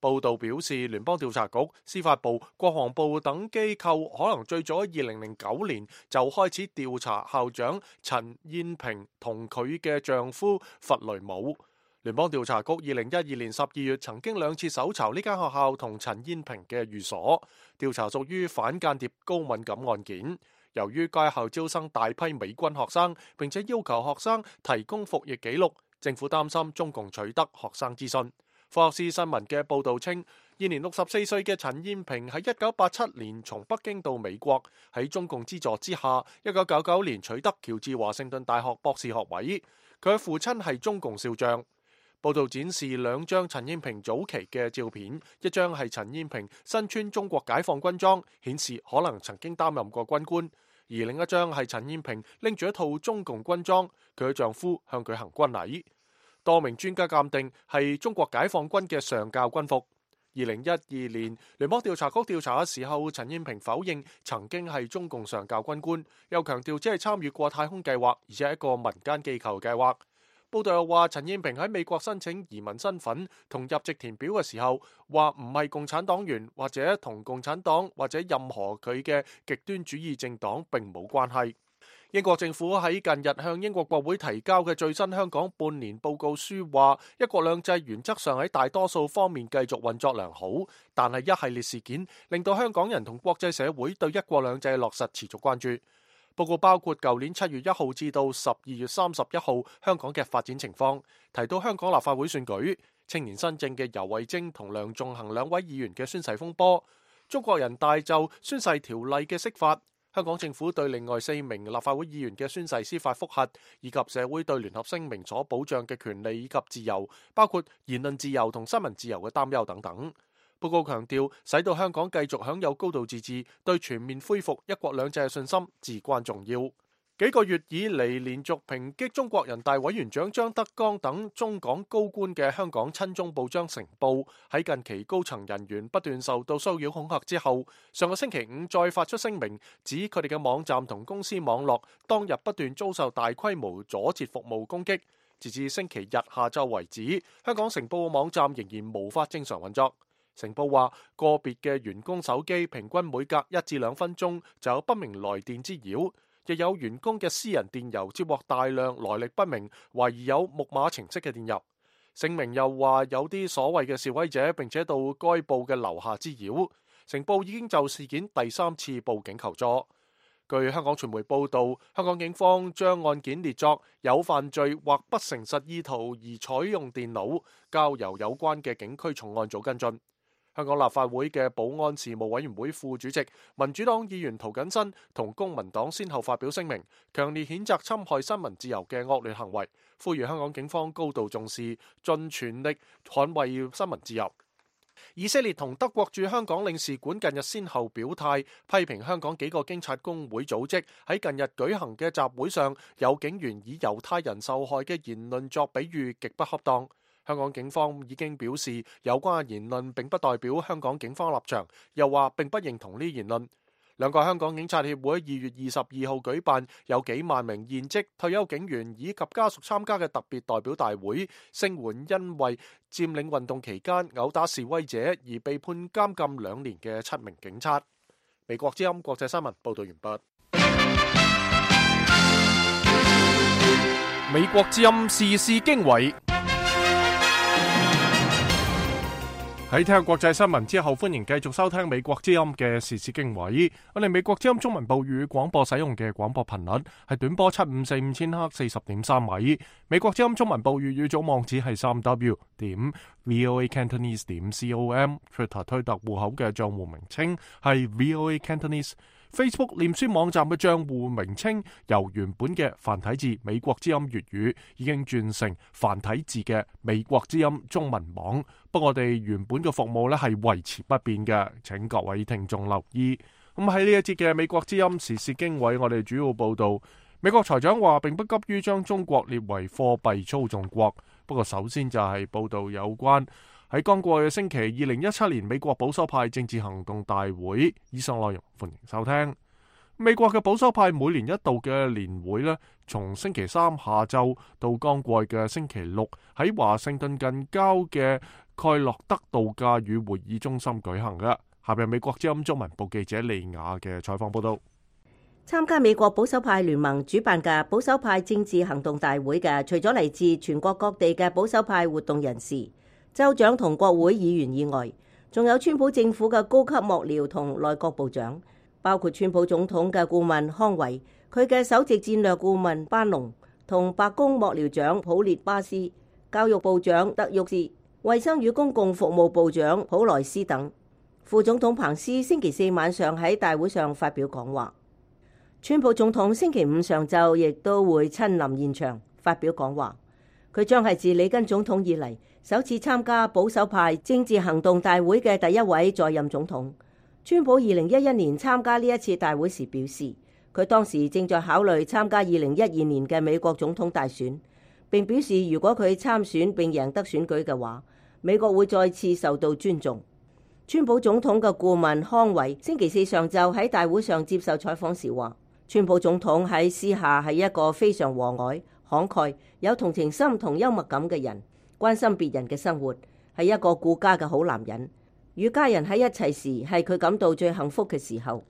報道表示，聯邦調查局、司法部、國防部等機構可能最早喺二零零九年就開始調查校長陳燕平同佢嘅丈夫弗雷姆。聯邦調查局二零一二年十二月曾經兩次搜查呢間學校同陳燕平嘅寓所，調查屬於反間諜高敏感案件。由於該校招生大批美軍學生，並且要求學生提供服役記錄，政府擔心中共取得學生資訊。福克斯新聞嘅報導稱，現年六十四歲嘅陳燕平喺一九八七年從北京到美國，喺中共資助之下，一九九九年取得喬治華盛頓大學博士學位。佢嘅父親係中共少將。報道展示兩張陳燕平早期嘅照片，一張係陳燕平身穿中國解放軍裝，顯示可能曾經擔任過軍官；而另一張係陳燕平拎住一套中共軍裝，佢嘅丈夫向佢行軍禮。多名專家鑑定係中國解放軍嘅上校軍服。二零一二年聯邦調查局調查嘅時候，陳燕平否認曾經係中共上校軍官，又強調只係參與過太空計劃，而且係一個民間機構計劃。報道又話，陳燕平喺美國申請移民身份同入籍填表嘅時候，話唔係共產黨員，或者同共產黨或者任何佢嘅極端主義政黨並冇關係。英國政府喺近日向英國國會提交嘅最新香港半年報告書話，一國兩制原則上喺大多數方面繼續運作良好，但係一系列事件令到香港人同國際社會對一國兩制落實持續關注。報告包括舊年七月一號至到十二月三十一號香港嘅發展情況，提到香港立法會選舉、青年新政嘅游蕙禎同梁頌恆兩位議員嘅宣誓風波、中國人大就宣誓條例嘅釋法、香港政府對另外四名立法會議員嘅宣誓司法覆核，以及社會對聯合聲明所保障嘅權利以及自由，包括言論自由同新聞自由嘅擔憂等等。報告強調，使到香港繼續享有高度自治，對全面恢復一國兩制嘅信心至關重要。幾個月以嚟連續抨擊中國人大委員長張德江等中港高官嘅香港親中報章成報，喺近期高層人員不斷受到騷擾恐嚇之後，上個星期五再發出聲明，指佢哋嘅網站同公司網絡當日不斷遭受大規模阻截服務攻擊。截至星期日下晝為止，香港成報嘅網站仍然無法正常運作。成報話，個別嘅員工手機平均每隔一至兩分鐘就有不明來電滋擾，亦有員工嘅私人電郵接獲大量來歷不明、懷疑有木馬程式嘅電郵。聲明又話有啲所謂嘅示威者並且到該報嘅樓下滋擾。成報已經就事件第三次報警求助。據香港傳媒報導，香港警方將案件列作有犯罪或不誠實意圖而採用電腦，交由有關嘅警區重案組跟進。香港立法會嘅保安事務委員會副主席、民主黨議員涂謹申同公民黨先後發表聲明，強烈譴責侵害新聞自由嘅惡劣行為，呼籲香港警方高度重視，盡全力捍衛新聞自由。以色列同德國駐香港領事館近日先後表態，批評香港幾個警察工會組織喺近日舉行嘅集會上，有警員以猶太人受害嘅言論作比喻，極不恰當。香港警方已經表示，有關言論並不代表香港警方立場，又話並不認同呢言論。兩個香港警察協會二月二十二號舉辦有幾萬名現職退休警員以及家屬參加嘅特別代表大會，聲援因為佔領運動期間毆打示威者而被判監禁兩年嘅七名警察。美國之音國際新聞報道完畢。美國之音時事經緯。喺聽下國際新聞之後，歡迎繼續收聽美國之音嘅時事經緯。我哋美國之音中文部語廣播使用嘅廣播頻率係短波七五四五千赫四十點三米。美國之音中文部粵語組網址係三 w 點 voa cantonese 點 com。Twitter 推特戶口嘅賬戶名稱係 voa cantonese。Facebook 臉書網站嘅賬戶名稱由原本嘅繁體字美國之音粵語已經轉成繁體字嘅美國之音中文網，不過我哋原本嘅服務咧係維持不變嘅，請各位聽眾留意。咁喺呢一節嘅美國之音時事經緯，我哋主要報道美國財長話並不急於將中國列為貨幣操縱國，不過首先就係報道有關喺剛過去嘅星期，二零一七年美國保守派政治行動大會，以上內容歡迎收聽。美國嘅保守派每年一度嘅年會呢，從星期三下晝到剛過去嘅星期六，喺華盛頓近郊嘅蓋洛德度假與會議中心舉行嘅。下面美國之音中文部記者利亞嘅採訪報道。參加美國保守派聯盟主辦嘅保守派政治行動大會嘅，除咗嚟自全國各地嘅保守派活動人士、州長同國會議員以外，仲有川普政府嘅高級幕僚同內閣部長，包括川普總統嘅顧問康維、佢嘅首席戰略顧問班農同白宮幕僚長普列巴斯、教育部長德沃斯、衛生與公共服務部長普萊斯等。副總統彭斯星期四晚上喺大會上發表講話。川普總統星期五上晝亦都會親臨現場發表講話。佢將係自里根總統以嚟首次參加保守派政治行動大會嘅第一位在任總統。川普二零一一年參加呢一次大會時表示，佢當時正在考慮參加二零一二年嘅美國總統大選，並表示如果佢參選並贏得選舉嘅話，美國會再次受到尊重。川普總統嘅顧問康維星期四上晝喺大會上接受採訪時話，川普總統喺私下係一個非常和藹、慷慨、有同情心同幽默感嘅人，關心別人嘅生活，係一個顧家嘅好男人。與家人喺一齊時係佢感到最幸福嘅時候。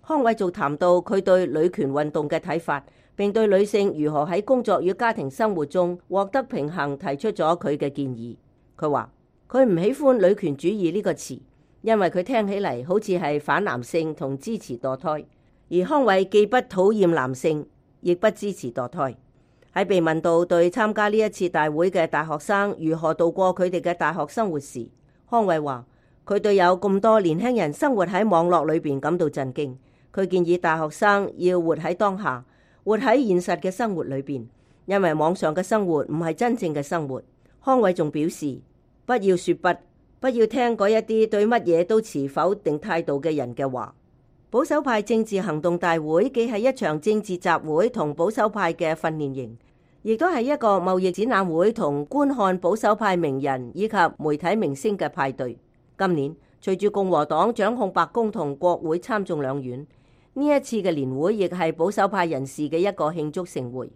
康偉仲談到佢對女權運動嘅睇法，並對女性如何喺工作與家庭生活中獲得平衡提出咗佢嘅建議。佢話佢唔喜歡女權主義呢個詞，因為佢聽起嚟好似係反男性同支持墮胎。而康偉既不討厭男性，亦不支持墮胎。喺被問到對參加呢一次大會嘅大學生如何度過佢哋嘅大學生活時，康偉話佢對有咁多年輕人生活喺網絡裏邊感到震驚。佢建議大學生要活喺當下，活喺現實嘅生活裏邊，因為網上嘅生活唔係真正嘅生活。康偉仲表示，不要說不，不要聽嗰一啲對乜嘢都持否定態度嘅人嘅話。保守派政治行動大會既係一場政治集會同保守派嘅訓練營，亦都係一個貿易展覽會同觀看保守派名人以及媒體明星嘅派對。今年隨住共和黨掌控白宮同國會參眾兩院，呢一次嘅年會亦係保守派人士嘅一個慶祝盛會。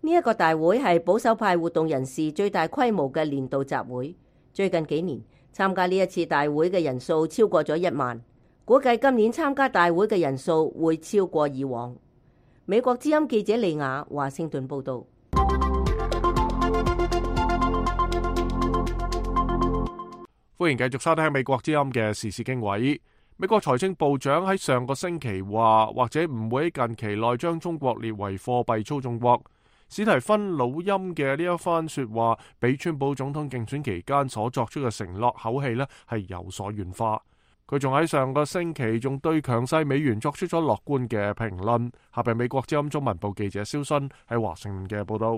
呢一個大會係保守派活動人士最大規模嘅年度集會。最近幾年參加呢一次大會嘅人數超過咗一萬。估計今年參加大會嘅人數會超過以往。美國之音記者利亞華盛頓報道。歡迎繼續收聽美國之音嘅時事經緯。美國財政部長喺上個星期話，或者唔會喺近期內將中國列為貨幣操縱國。史提芬魯欽嘅呢一番說話，比川普總統競選期間所作出嘅承諾口氣呢係有所軟化。佢仲喺上個星期仲對強勢美元作出咗樂觀嘅評論。下邊美國之音中文部記者蕭순喺華盛頓嘅報道。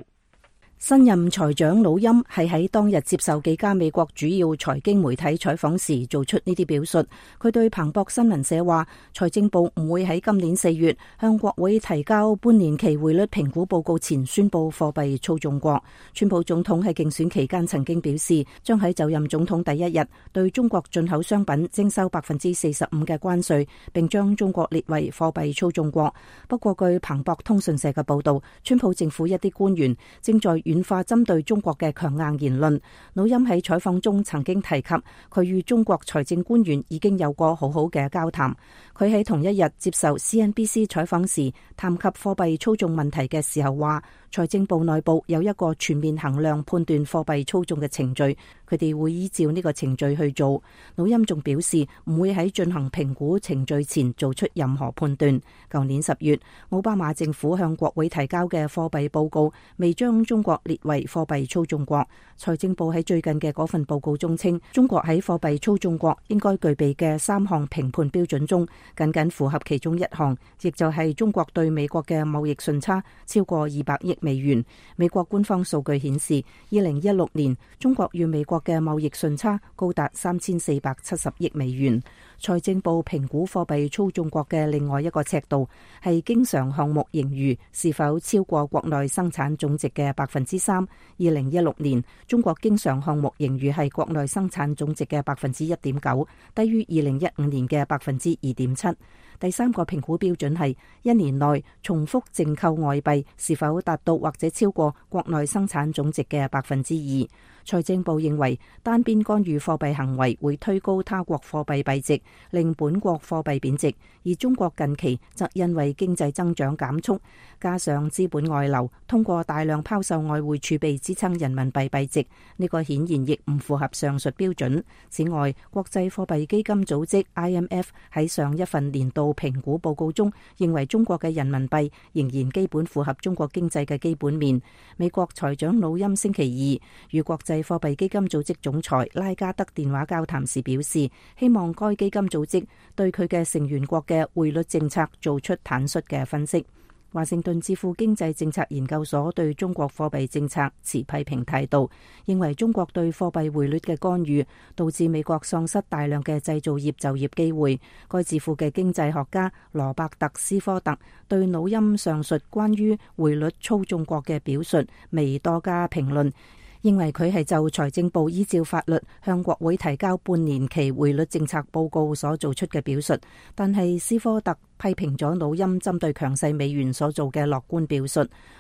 新任財長魯欽係喺當日接受幾家美國主要財經媒體採訪時做出呢啲表述。佢對彭博新聞社話，財政部唔會喺今年四月向國會提交半年期匯率評估報告前宣布貨幣操縱國。川普總統喺競選期間曾經表示，將喺就任總統第一日對中國進口商品徵收百分之四十五嘅關稅，並將中國列為貨幣操縱國。不過據彭博通訊社嘅報道，川普政府一啲官員正在軟化針對中國嘅強硬言論。魯欽喺採訪中曾經提及，佢與中國財政官員已經有過好好嘅交談。佢喺同一日接受 C N B C 採訪時，談及貨幣操縱問題嘅時候話，財政部內部有一個全面衡量判斷貨幣操縱嘅程序，佢哋會依照呢個程序去做。魯欽仲表示唔會喺進行評估程序前做出任何判斷。舊年十月，奧巴馬政府向國會提交嘅貨幣報告未將中國列為貨幣操縱國。財政部喺最近嘅嗰份報告中稱，中國喺貨幣操縱國應該具備嘅三項評判標準中，僅僅符合其中一項，亦就係中國對美國嘅貿易順差超過二百億美元。美國官方數據顯示，二零一六年中國與美國嘅貿易順差高達三千四百七十億美元。財政部評估貨幣操縱國嘅另外一個尺度係經常項目盈餘是否超過國內生產總值嘅百分之三。二零一六年中國經常項目盈餘係國內生產總值嘅百分之一點九，低於二零一五年嘅百分之二點七。第三個評估標準係一年內重複淨購外幣是否達到或者超過國內生產總值嘅百分之二。財政部認為單邊干預貨幣行為會推高他國貨幣幣值，令本國貨幣貶值，而中國近期則因為經濟增長減速，加上資本外流，通過大量拋售外匯儲備支撐人民幣幣值，呢個顯然亦唔符合上述標準。此外，國際貨幣基金組織 I M F 喺上一份年度評估報告中認為中國嘅人民幣仍然基本符合中國經濟嘅基本面。美國財長魯欽星期二與國際貨幣基金組織總裁拉加德電話交談時表示，希望該基金組織對佢嘅成員國嘅匯率政策做出坦率嘅分析。華盛頓智庫經濟政策研究所對中國貨幣政策持批評態度，認為中國對貨幣匯率嘅干預導致美國喪失大量嘅製造業就業機會。該智庫嘅經濟學家羅伯特斯科特對魯欽上述關於匯率操縱國嘅表述未多加評論，認為佢係就財政部依照法律向國會提交半年期匯率政策報告所做出嘅表述，但係斯科特批評咗魯欽針對強勢美元所做嘅樂觀表述。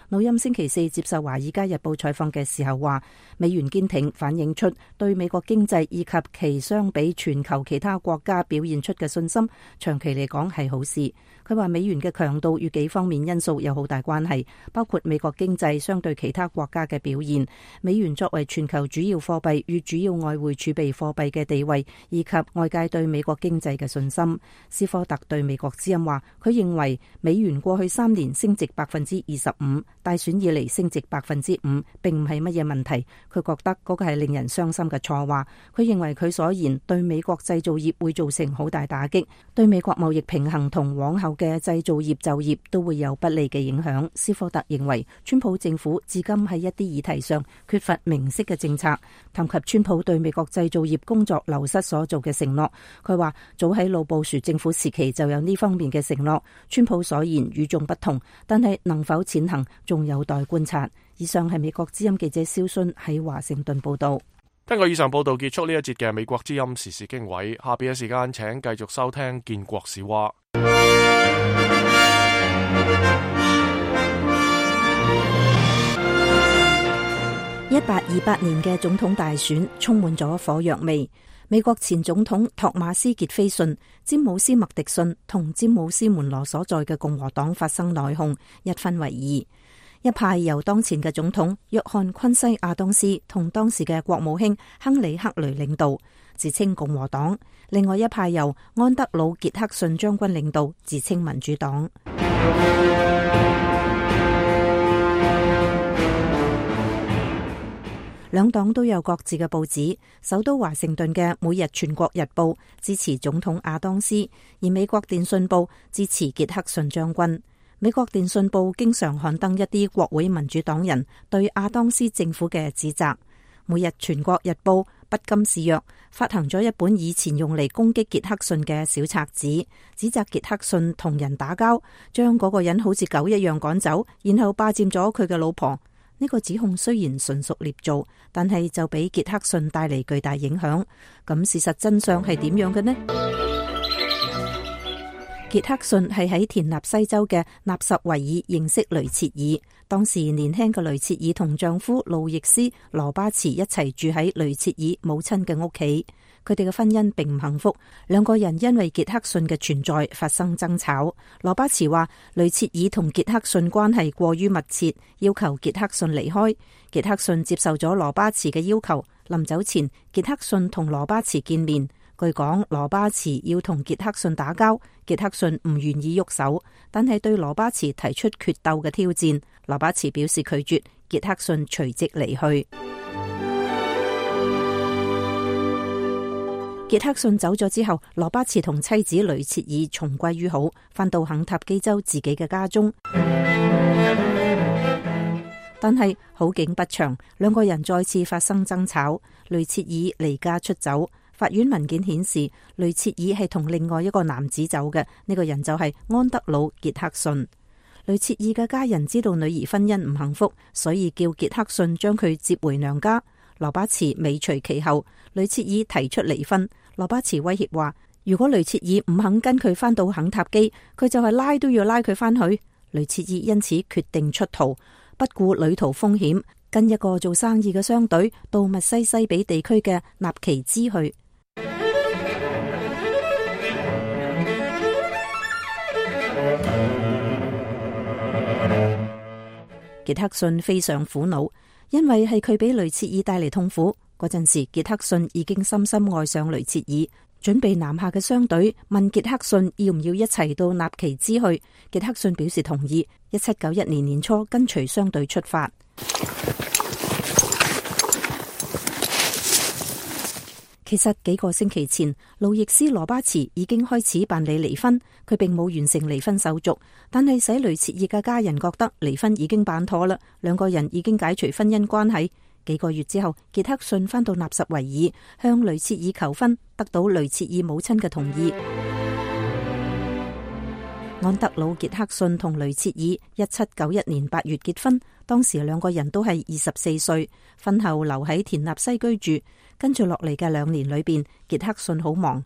魯欽星期四接受華爾街日報採訪嘅時候話，美元堅挺反映出對美國經濟以及其相比全球其他國家表現出嘅信心，長期嚟講係好事。佢話美元嘅強度與幾方面因素有好大關係，包括美國經濟相對其他國家嘅表現，美元作為全球主要貨幣與主要外匯儲備貨幣嘅地位，以及外界對美國經濟嘅信心。斯科特對美國之音話，佢認為美元過去三年升值百分之二十五，大選以嚟升值百分之五，並唔係乜嘢問題。佢覺得嗰個係令人傷心嘅錯話。佢認為佢所言對美國製造業會造成好大打擊，對美國貿易平衡同往後嘅製造業就業都會有不利嘅影響。斯科特認為川普政府至今喺一啲議題上缺乏明晰嘅政策。談及川普對美國製造業工作流失所做嘅承諾，佢話早喺老布殊政府時期就有呢方面嘅承諾，川普所言與眾不同，但係能否踐行仲有待觀察。以上係美國之音記者蕭순喺華盛頓報道。聽過以上報道，結束呢一節嘅美國之音時事經緯。下邊嘅時間請繼續收聽建國史話。一八二八年嘅總統大選充滿咗火藥味。美國前總統托馬斯傑菲遜、詹姆斯麥迪遜同詹姆斯門羅所在嘅共和黨發生內訌，一分為二。一派由當前嘅總統約翰昆西亞當斯同當時嘅國務卿亨利克雷領導，自稱共和黨；另外一派由安德魯傑克遜將軍領導，自稱民主黨。兩黨都有各自嘅報紙。首都華盛頓嘅《每日全國日報》支持總統亞當斯，而美國電訊報支持傑克遜將軍。美國電訊報經常刊登一啲國會民主黨人對亞當斯政府嘅指責。每日全國日報不甘示弱，發行咗一本以前用嚟攻擊傑克遜嘅小冊子，指責傑克遜同人打交，將嗰個人好似狗一樣趕走，然後霸佔咗佢嘅老婆。呢個指控雖然純屬捏造，但係就俾傑克遜帶嚟巨大影響。咁事實真相係點樣嘅呢？傑克遜係喺田納西州嘅納什維爾認識雷切爾，當時年輕嘅雷切爾同丈夫路易斯羅巴茨一齊住喺雷切爾母親嘅屋企。佢哋嘅婚姻並唔幸福，兩個人因為傑克遜嘅存在發生爭吵。羅巴茨話雷切爾同傑克遜關係過於密切，要求傑克遜離開。傑克遜接受咗羅巴茨嘅要求，臨走前傑克遜同羅巴茨見面。據講，羅巴茨要同傑克遜打交，傑克遜唔願意喐手，但係對羅巴茨提出決鬥嘅挑戰。羅巴茨表示拒絕，傑克遜隨即離去。傑克遜走咗之後，羅巴茨同妻子雷切爾重歸於好，返到肯塔基州自己嘅家中。但係好景不長，兩個人再次發生爭吵，雷切爾離家出走。法院文件顯示，雷切爾係同另外一個男子走嘅，呢、這個人就係安德魯傑克遜。雷切爾嘅家人知道女兒婚姻唔幸福，所以叫傑克遜將佢接回娘家。羅巴茨尾隨其後，雷切爾提出離婚。羅巴茨威脅話，如果雷切爾唔肯跟佢返到肯塔基，佢就係拉都要拉佢返去。雷切爾因此決定出逃，不顧旅途風險，跟一個做生意嘅商隊到密西西比地區嘅納奇茲去。傑克遜非常苦惱，因為係佢俾雷切爾帶嚟痛苦。嗰陣時，傑克遜已經深深愛上雷切爾，準備南下嘅商隊問傑克遜要唔要一齊到納奇茲去。傑克遜表示同意。一七九一年年初，跟隨商隊出發。其實幾個星期前，路易斯羅巴茨已經開始辦理離婚，佢並冇完成離婚手續，但係使雷切爾嘅家人覺得離婚已經辦妥啦，兩個人已經解除婚姻關係。幾個月之後，傑克遜返到納什維爾向雷切爾求婚，得到雷切爾母親嘅同意。安德魯傑克遜同雷切爾一七九一年八月結婚，當時兩個人都係二十四歲，婚後留喺田納西居住。跟住落嚟嘅兩年裏邊，傑克遜好忙。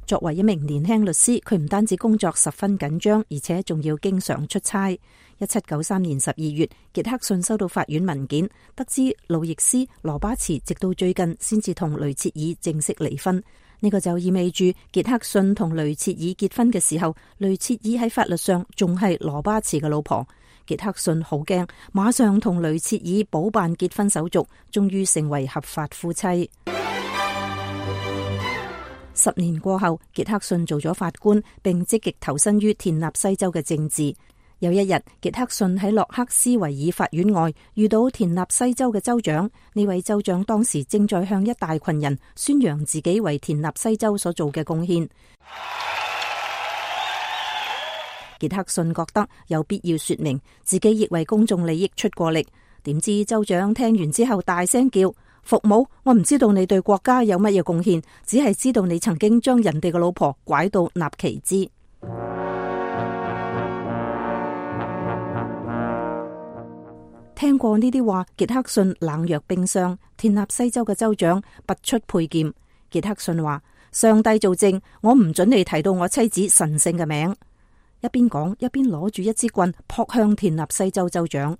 作為一名年輕律師，佢唔單止工作十分緊張，而且仲要經常出差。一七九三年十二月，傑克遜收到法院文件，得知路易斯羅巴茨直到最近先至同雷切爾正式離婚。呢、這個就意味住傑克遜同雷切爾結婚嘅時候，雷切爾喺法律上仲係羅巴茨嘅老婆。傑克遜好驚，馬上同雷切爾補辦結婚手續，終於成為合法夫妻。十年過後，傑克遜做咗法官，並積極投身於田納西州嘅政治。有一日，傑克遜喺洛克斯維爾法院外遇到田納西州嘅州長。呢位州長當時正在向一大群人宣揚自己為田納西州所做嘅貢獻。傑克遜覺得有必要說明自己亦為公眾利益出過力。點知州長聽完之後大聲叫：服務！我唔知道你對國家有乜嘢貢獻，只係知道你曾經將人哋嘅老婆拐到納奇茲。聽過呢啲話，傑克遜冷若冰霜。田納西州嘅州長拔出佩劍。傑克遜話：上帝做證，我唔准你提到我妻子神聖嘅名。一邊講一邊攞住一支棍撲向田納西州州長。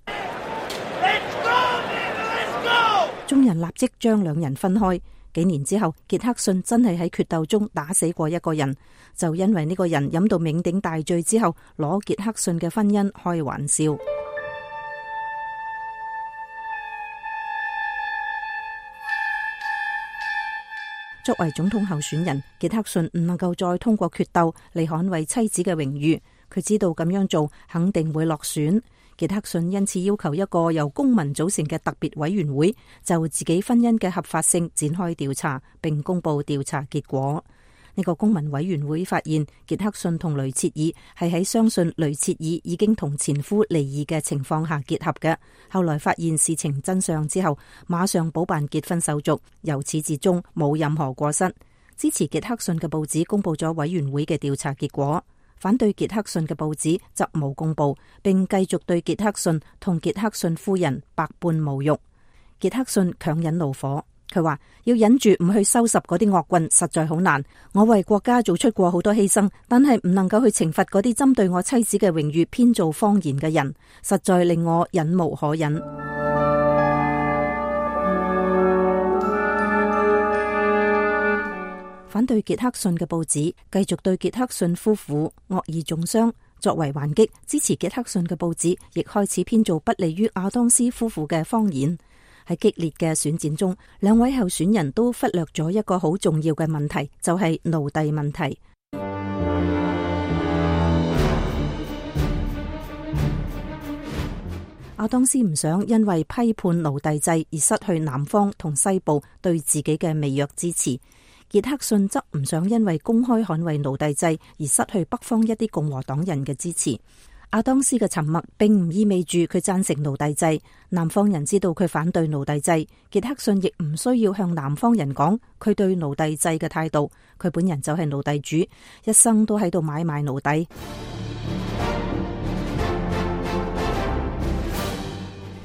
眾人立即將兩人分開。幾年之後，傑克遜真係喺決鬥中打死過一個人，就因為呢個人飲到酩酊大醉之後，攞傑克遜嘅婚姻開玩笑。作為總統候選人，傑克遜唔能夠再通過決鬥嚟捍衛妻子嘅榮譽。佢知道咁樣做肯定會落選。傑克遜因此要求一個由公民組成嘅特別委員會就自己婚姻嘅合法性展開調查，並公布調查結果。呢個公民委員會發現，傑克遜同雷切爾係喺相信雷切爾已經同前夫離異嘅情況下結合嘅。後來發現事情真相之後，馬上補辦結婚手續，由始至終冇任何過失。支持傑克遜嘅報紙公布咗委員會嘅調查結果，反對傑克遜嘅報紙則冇公布，並繼續對傑克遜同傑克遜夫人百般侮辱。傑克遜強忍怒火。佢話要忍住唔去收拾嗰啲惡棍實在好難，我為國家做出過好多犧牲，但係唔能夠去懲罰嗰啲針對我妻子嘅榮譽編造謊言嘅人，實在令我忍無可忍。反對傑克遜嘅報紙繼續對傑克遜夫婦惡意中傷，作為還擊，支持傑克遜嘅報紙亦開始編造不利於亞當斯夫婦嘅謊言。喺激烈嘅選戰中，兩位候選人都忽略咗一個好重要嘅問題，就係奴隸問題。亞當斯唔想因為批判奴隸制而失去南方同西部對自己嘅微弱支持，傑克遜則唔想因為公開捍衛奴隸制而失去北方一啲共和黨人嘅支持。亞當斯嘅沉默並唔意味住佢贊成奴隸制，南方人知道佢反對奴隸制，傑克遜亦唔需要向南方人講佢對奴隸制嘅態度，佢本人就係奴隸主，一生都喺度買賣奴隸。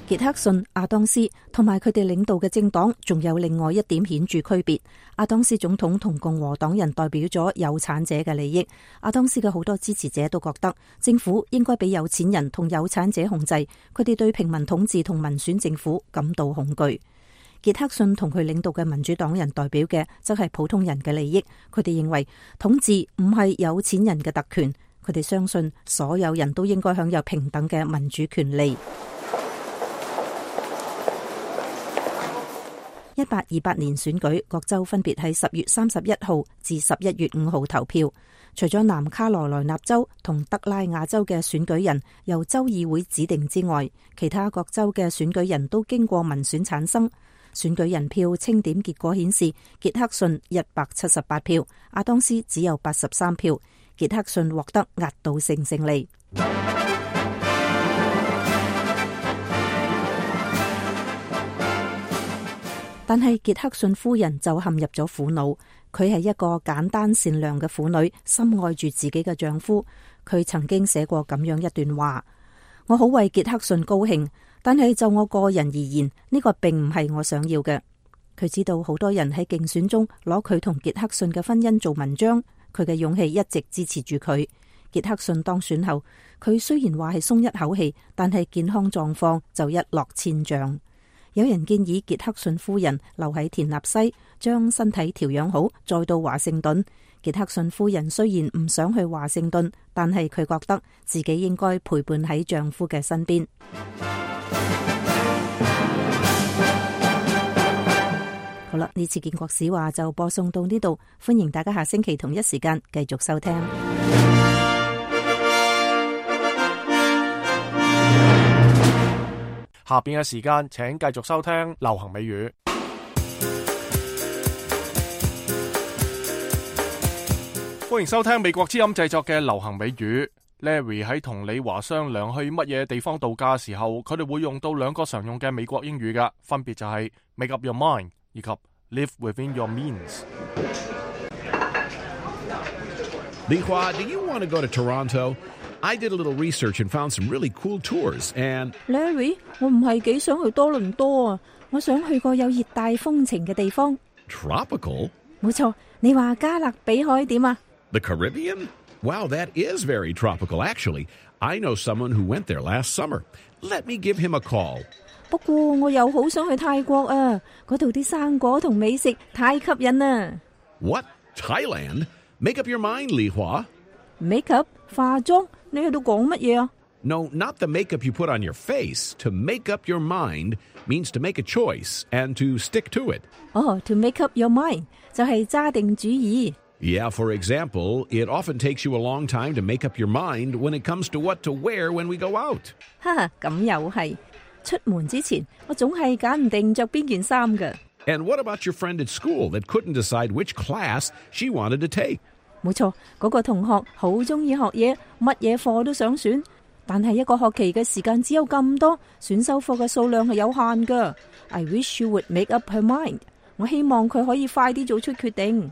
傑克遜、亞當斯同埋佢哋領導嘅政黨仲有另外一點顯著區別。亞當斯總統同共和黨人代表咗有產者嘅利益，亞當斯嘅好多支持者都覺得政府應該俾有錢人同有產者控制，佢哋對平民統治同民選政府感到恐懼。傑克遜同佢領導嘅民主黨人代表嘅則係普通人嘅利益，佢哋認為統治唔係有錢人嘅特權，佢哋相信所有人都應該享有平等嘅民主權利。一八二八年選舉，各州分別喺十月三十一號至十一月五號投票。除咗南卡羅來納州同德拉瓦州嘅選舉人由州議會指定之外，其他各州嘅選舉人都經過民選產生。選舉人票清點結果顯示，傑克遜一百七十八票，亞當斯只有八十三票，傑克遜獲得壓倒性勝利。但係傑克遜夫人就陷入咗苦惱，佢係一個簡單善良嘅婦女，深愛住自己嘅丈夫。佢曾經寫過咁樣一段話：我好為傑克遜高興，但係就我個人而言，呢個並唔係我想要嘅。佢知道好多人喺競選中攞佢同傑克遜嘅婚姻做文章，佢嘅勇氣一直支持住佢。傑克遜當選後，佢雖然話係鬆一口氣，但係健康狀況就一落千丈。有人建議傑克遜夫人留喺田納西，將身體調養好，再到華盛頓。傑克遜夫人雖然唔想去華盛頓，但係佢覺得自己應該陪伴喺丈夫嘅身邊。好啦，呢次建國史話就播送到呢度，歡迎大家下星期同一時間繼續收聽。下邊嘅時間，請繼續收聽流行美語。歡迎收聽美國之音製作嘅流行美語。Larry 喺同李華商量去乜嘢地方度假嘅時候，佢哋會用到兩個常用嘅美國英語㗎，分別就係 make up your mind 以及 live within your means。李華 do you want to go to Toronto?I did a little research and found some really cool tours. And Larry, 我唔係幾想去多倫多啊，我想去個有熱帶風情嘅地方。Tropical? 冇錯，你話加勒比海點啊？ The Caribbean? Wow, that is very tropical. Actually, I know someone who went there last summer. Let me give him a call. 不過我又好想去泰國啊，嗰度啲生果同美食太吸引啦。What? Thailand? Make up your mind, Li Hua. Make up? 化妝？你喺度講乜嘢啊？ No, not the makeup you put on your face. To make up your mind means to make a choice and to stick to it. 哦、oh, to make up your mind 就係揸定主意。Yeah, for example, it often takes you a long time to make up your mind when it comes to what to wear when we go out. 哈哈，咁又係。出門之前，我總係揀唔定着邊件衫㗎。And what about your friend at school that couldn't decide which class she wanted to take? 冇錯，嗰個同學好中意學嘢，乜嘢課都想選，但係一個學期嘅時間只有咁多，選修課嘅數量係有限㗎。I wish you would make up her mind. 我希望佢可以快啲做出決定。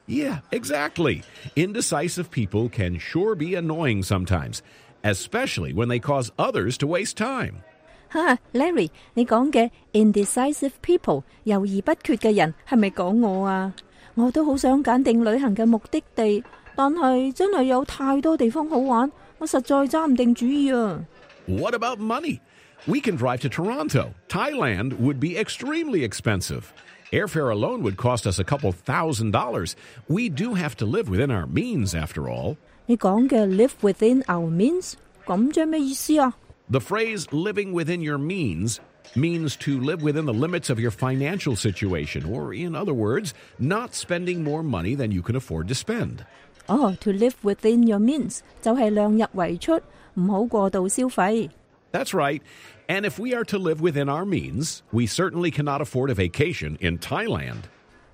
Yeah, exactly. Indecisive people can sure be annoying sometimes, especially when they cause others to waste time. 哈 Larry， 你講嘅 indecisive people 猶豫不決嘅人係咪講我啊？我都好想揀定旅行嘅目的地，但係真係有太多地方好玩，我實在揸唔定主意啊。What about money? We can drive to Toronto. Thailand would be extremely expensive. Airfare alone would cost us a couple thousand dollars. We do have to live within our means, after all. 你講嘅 live within our means， 咁即係咩意思啊？ The phrase living within your means means to live within the limits of your financial situation, or in other words, not spending more money than you can afford to spend. 哦 to live within your means 就係量入為出，唔好過度消費。That's right. And if we are to live within our means, we certainly cannot afford a vacation in Thailand.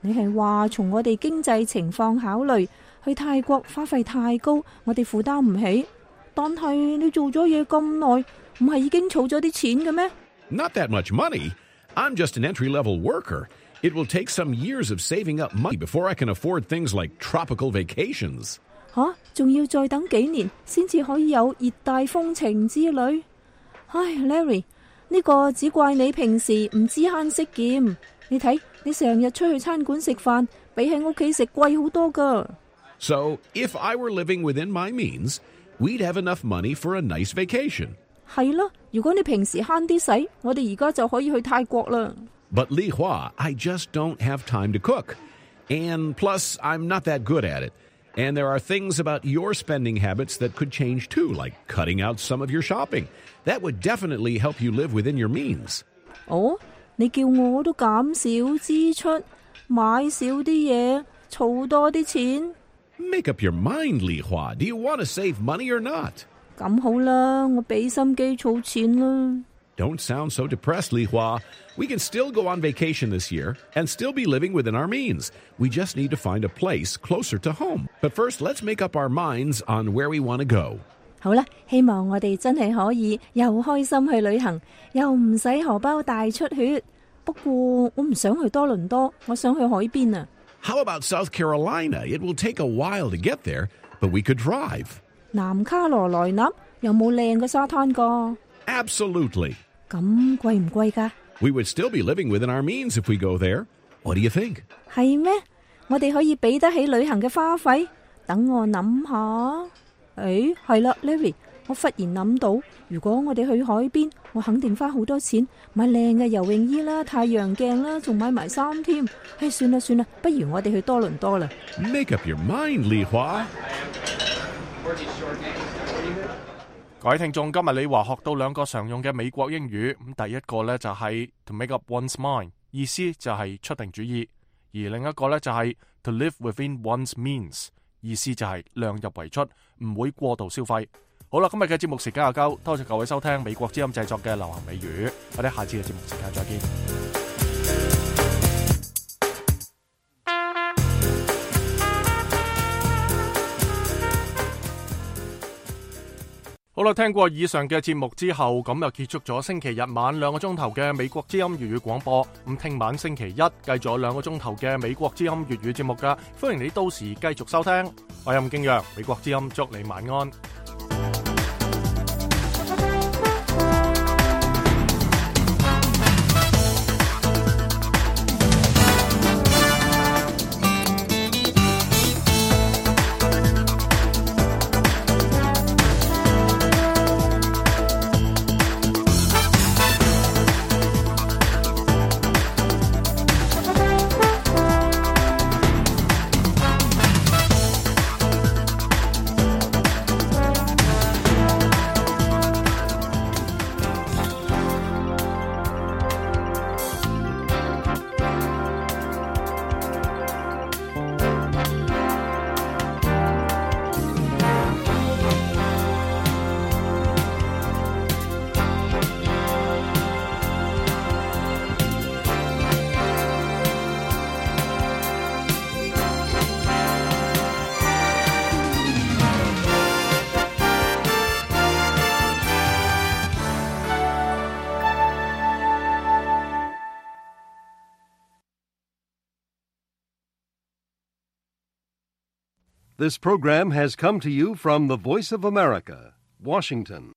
你係話從我哋經濟情況考慮，去泰國花費太高，我哋負擔唔起。但係你做咗嘢咁耐，唔係已經儲咗啲錢嘅咩？ Not that much money. I'm just an entry-level worker. It will take some years of saving up money before I can afford things like tropical vacations. 吓，仲要再等幾年先至可以有熱帶風情之旅。唉 ，Larry， 呢個只怪你平時唔知慳識儉。你睇，你成日出去餐館食飯，比喺屋企食貴好多㗎。So, if I were living within my means, we'd have enough money for a nice vacation. 係咯，如果你平時慳啲使，我哋而家就可以去泰國啦。But Li Hua, I just don't have time to cook. And plus, I'm not that good at it. And there are things about your spending habits that could change too, like cutting out some of your shopping. That would definitely help you live within your means. 哦，你叫我都減少支出，買少啲嘢，儲多啲錢。Make up your mind, Li Hua. Do you want to save money or not? 咁好啦，我俾心機儲錢啦。Don't sound so depressed, Li Hua. We can still go on vacation this year and still be living within our means. We just need to find a place closer to home. But first, let's make up our minds on where we want to go. 好啦，希望我哋真係可以又開心去旅行，又唔使荷包大出血。不過我唔想去多倫多，我想去海邊啊。How about South Carolina? It will take a while to get there, but we could drive. 南卡羅來納有冇靚嘅沙灘㗎？ Absolutely. 咁貴唔貴㗎？ We would still be living within our means if we go there. What do you think? 係咩？我哋可以俾得起旅行嘅花費？等我諗下。誒，係啦 ，Larry， 我忽然諗到，如果我哋去海邊，我肯定花好多錢買靚嘅游泳衣啦、太陽鏡啦，仲買埋衫添。誒，算啦算啦，不如我哋去多倫多啦。Make up your mind, Li Hua. 各位聽眾，今日李華學到兩個常用嘅美國英語，咁第一個呢，就係 to make up one's mind， 意思就係出定主意；而另一個呢，就係 to live within one's means， 意思就係量入為出，唔會過度消費。好啦，今日嘅節目時間又夠，多謝各位收聽美國之音製作嘅流行美語，我哋下次嘅節目時間再見。好啦，聽過以上嘅節目之後，咁又結束咗星期日晚兩個鐘頭嘅美國之音粵語廣播。咁聽晚星期一繼續有兩個鐘頭嘅美國之音粵語節目噶，歡迎你到時繼續收聽。我係任敬陽，美國之音祝你晚安。This program has come to you from the Voice of America, Washington.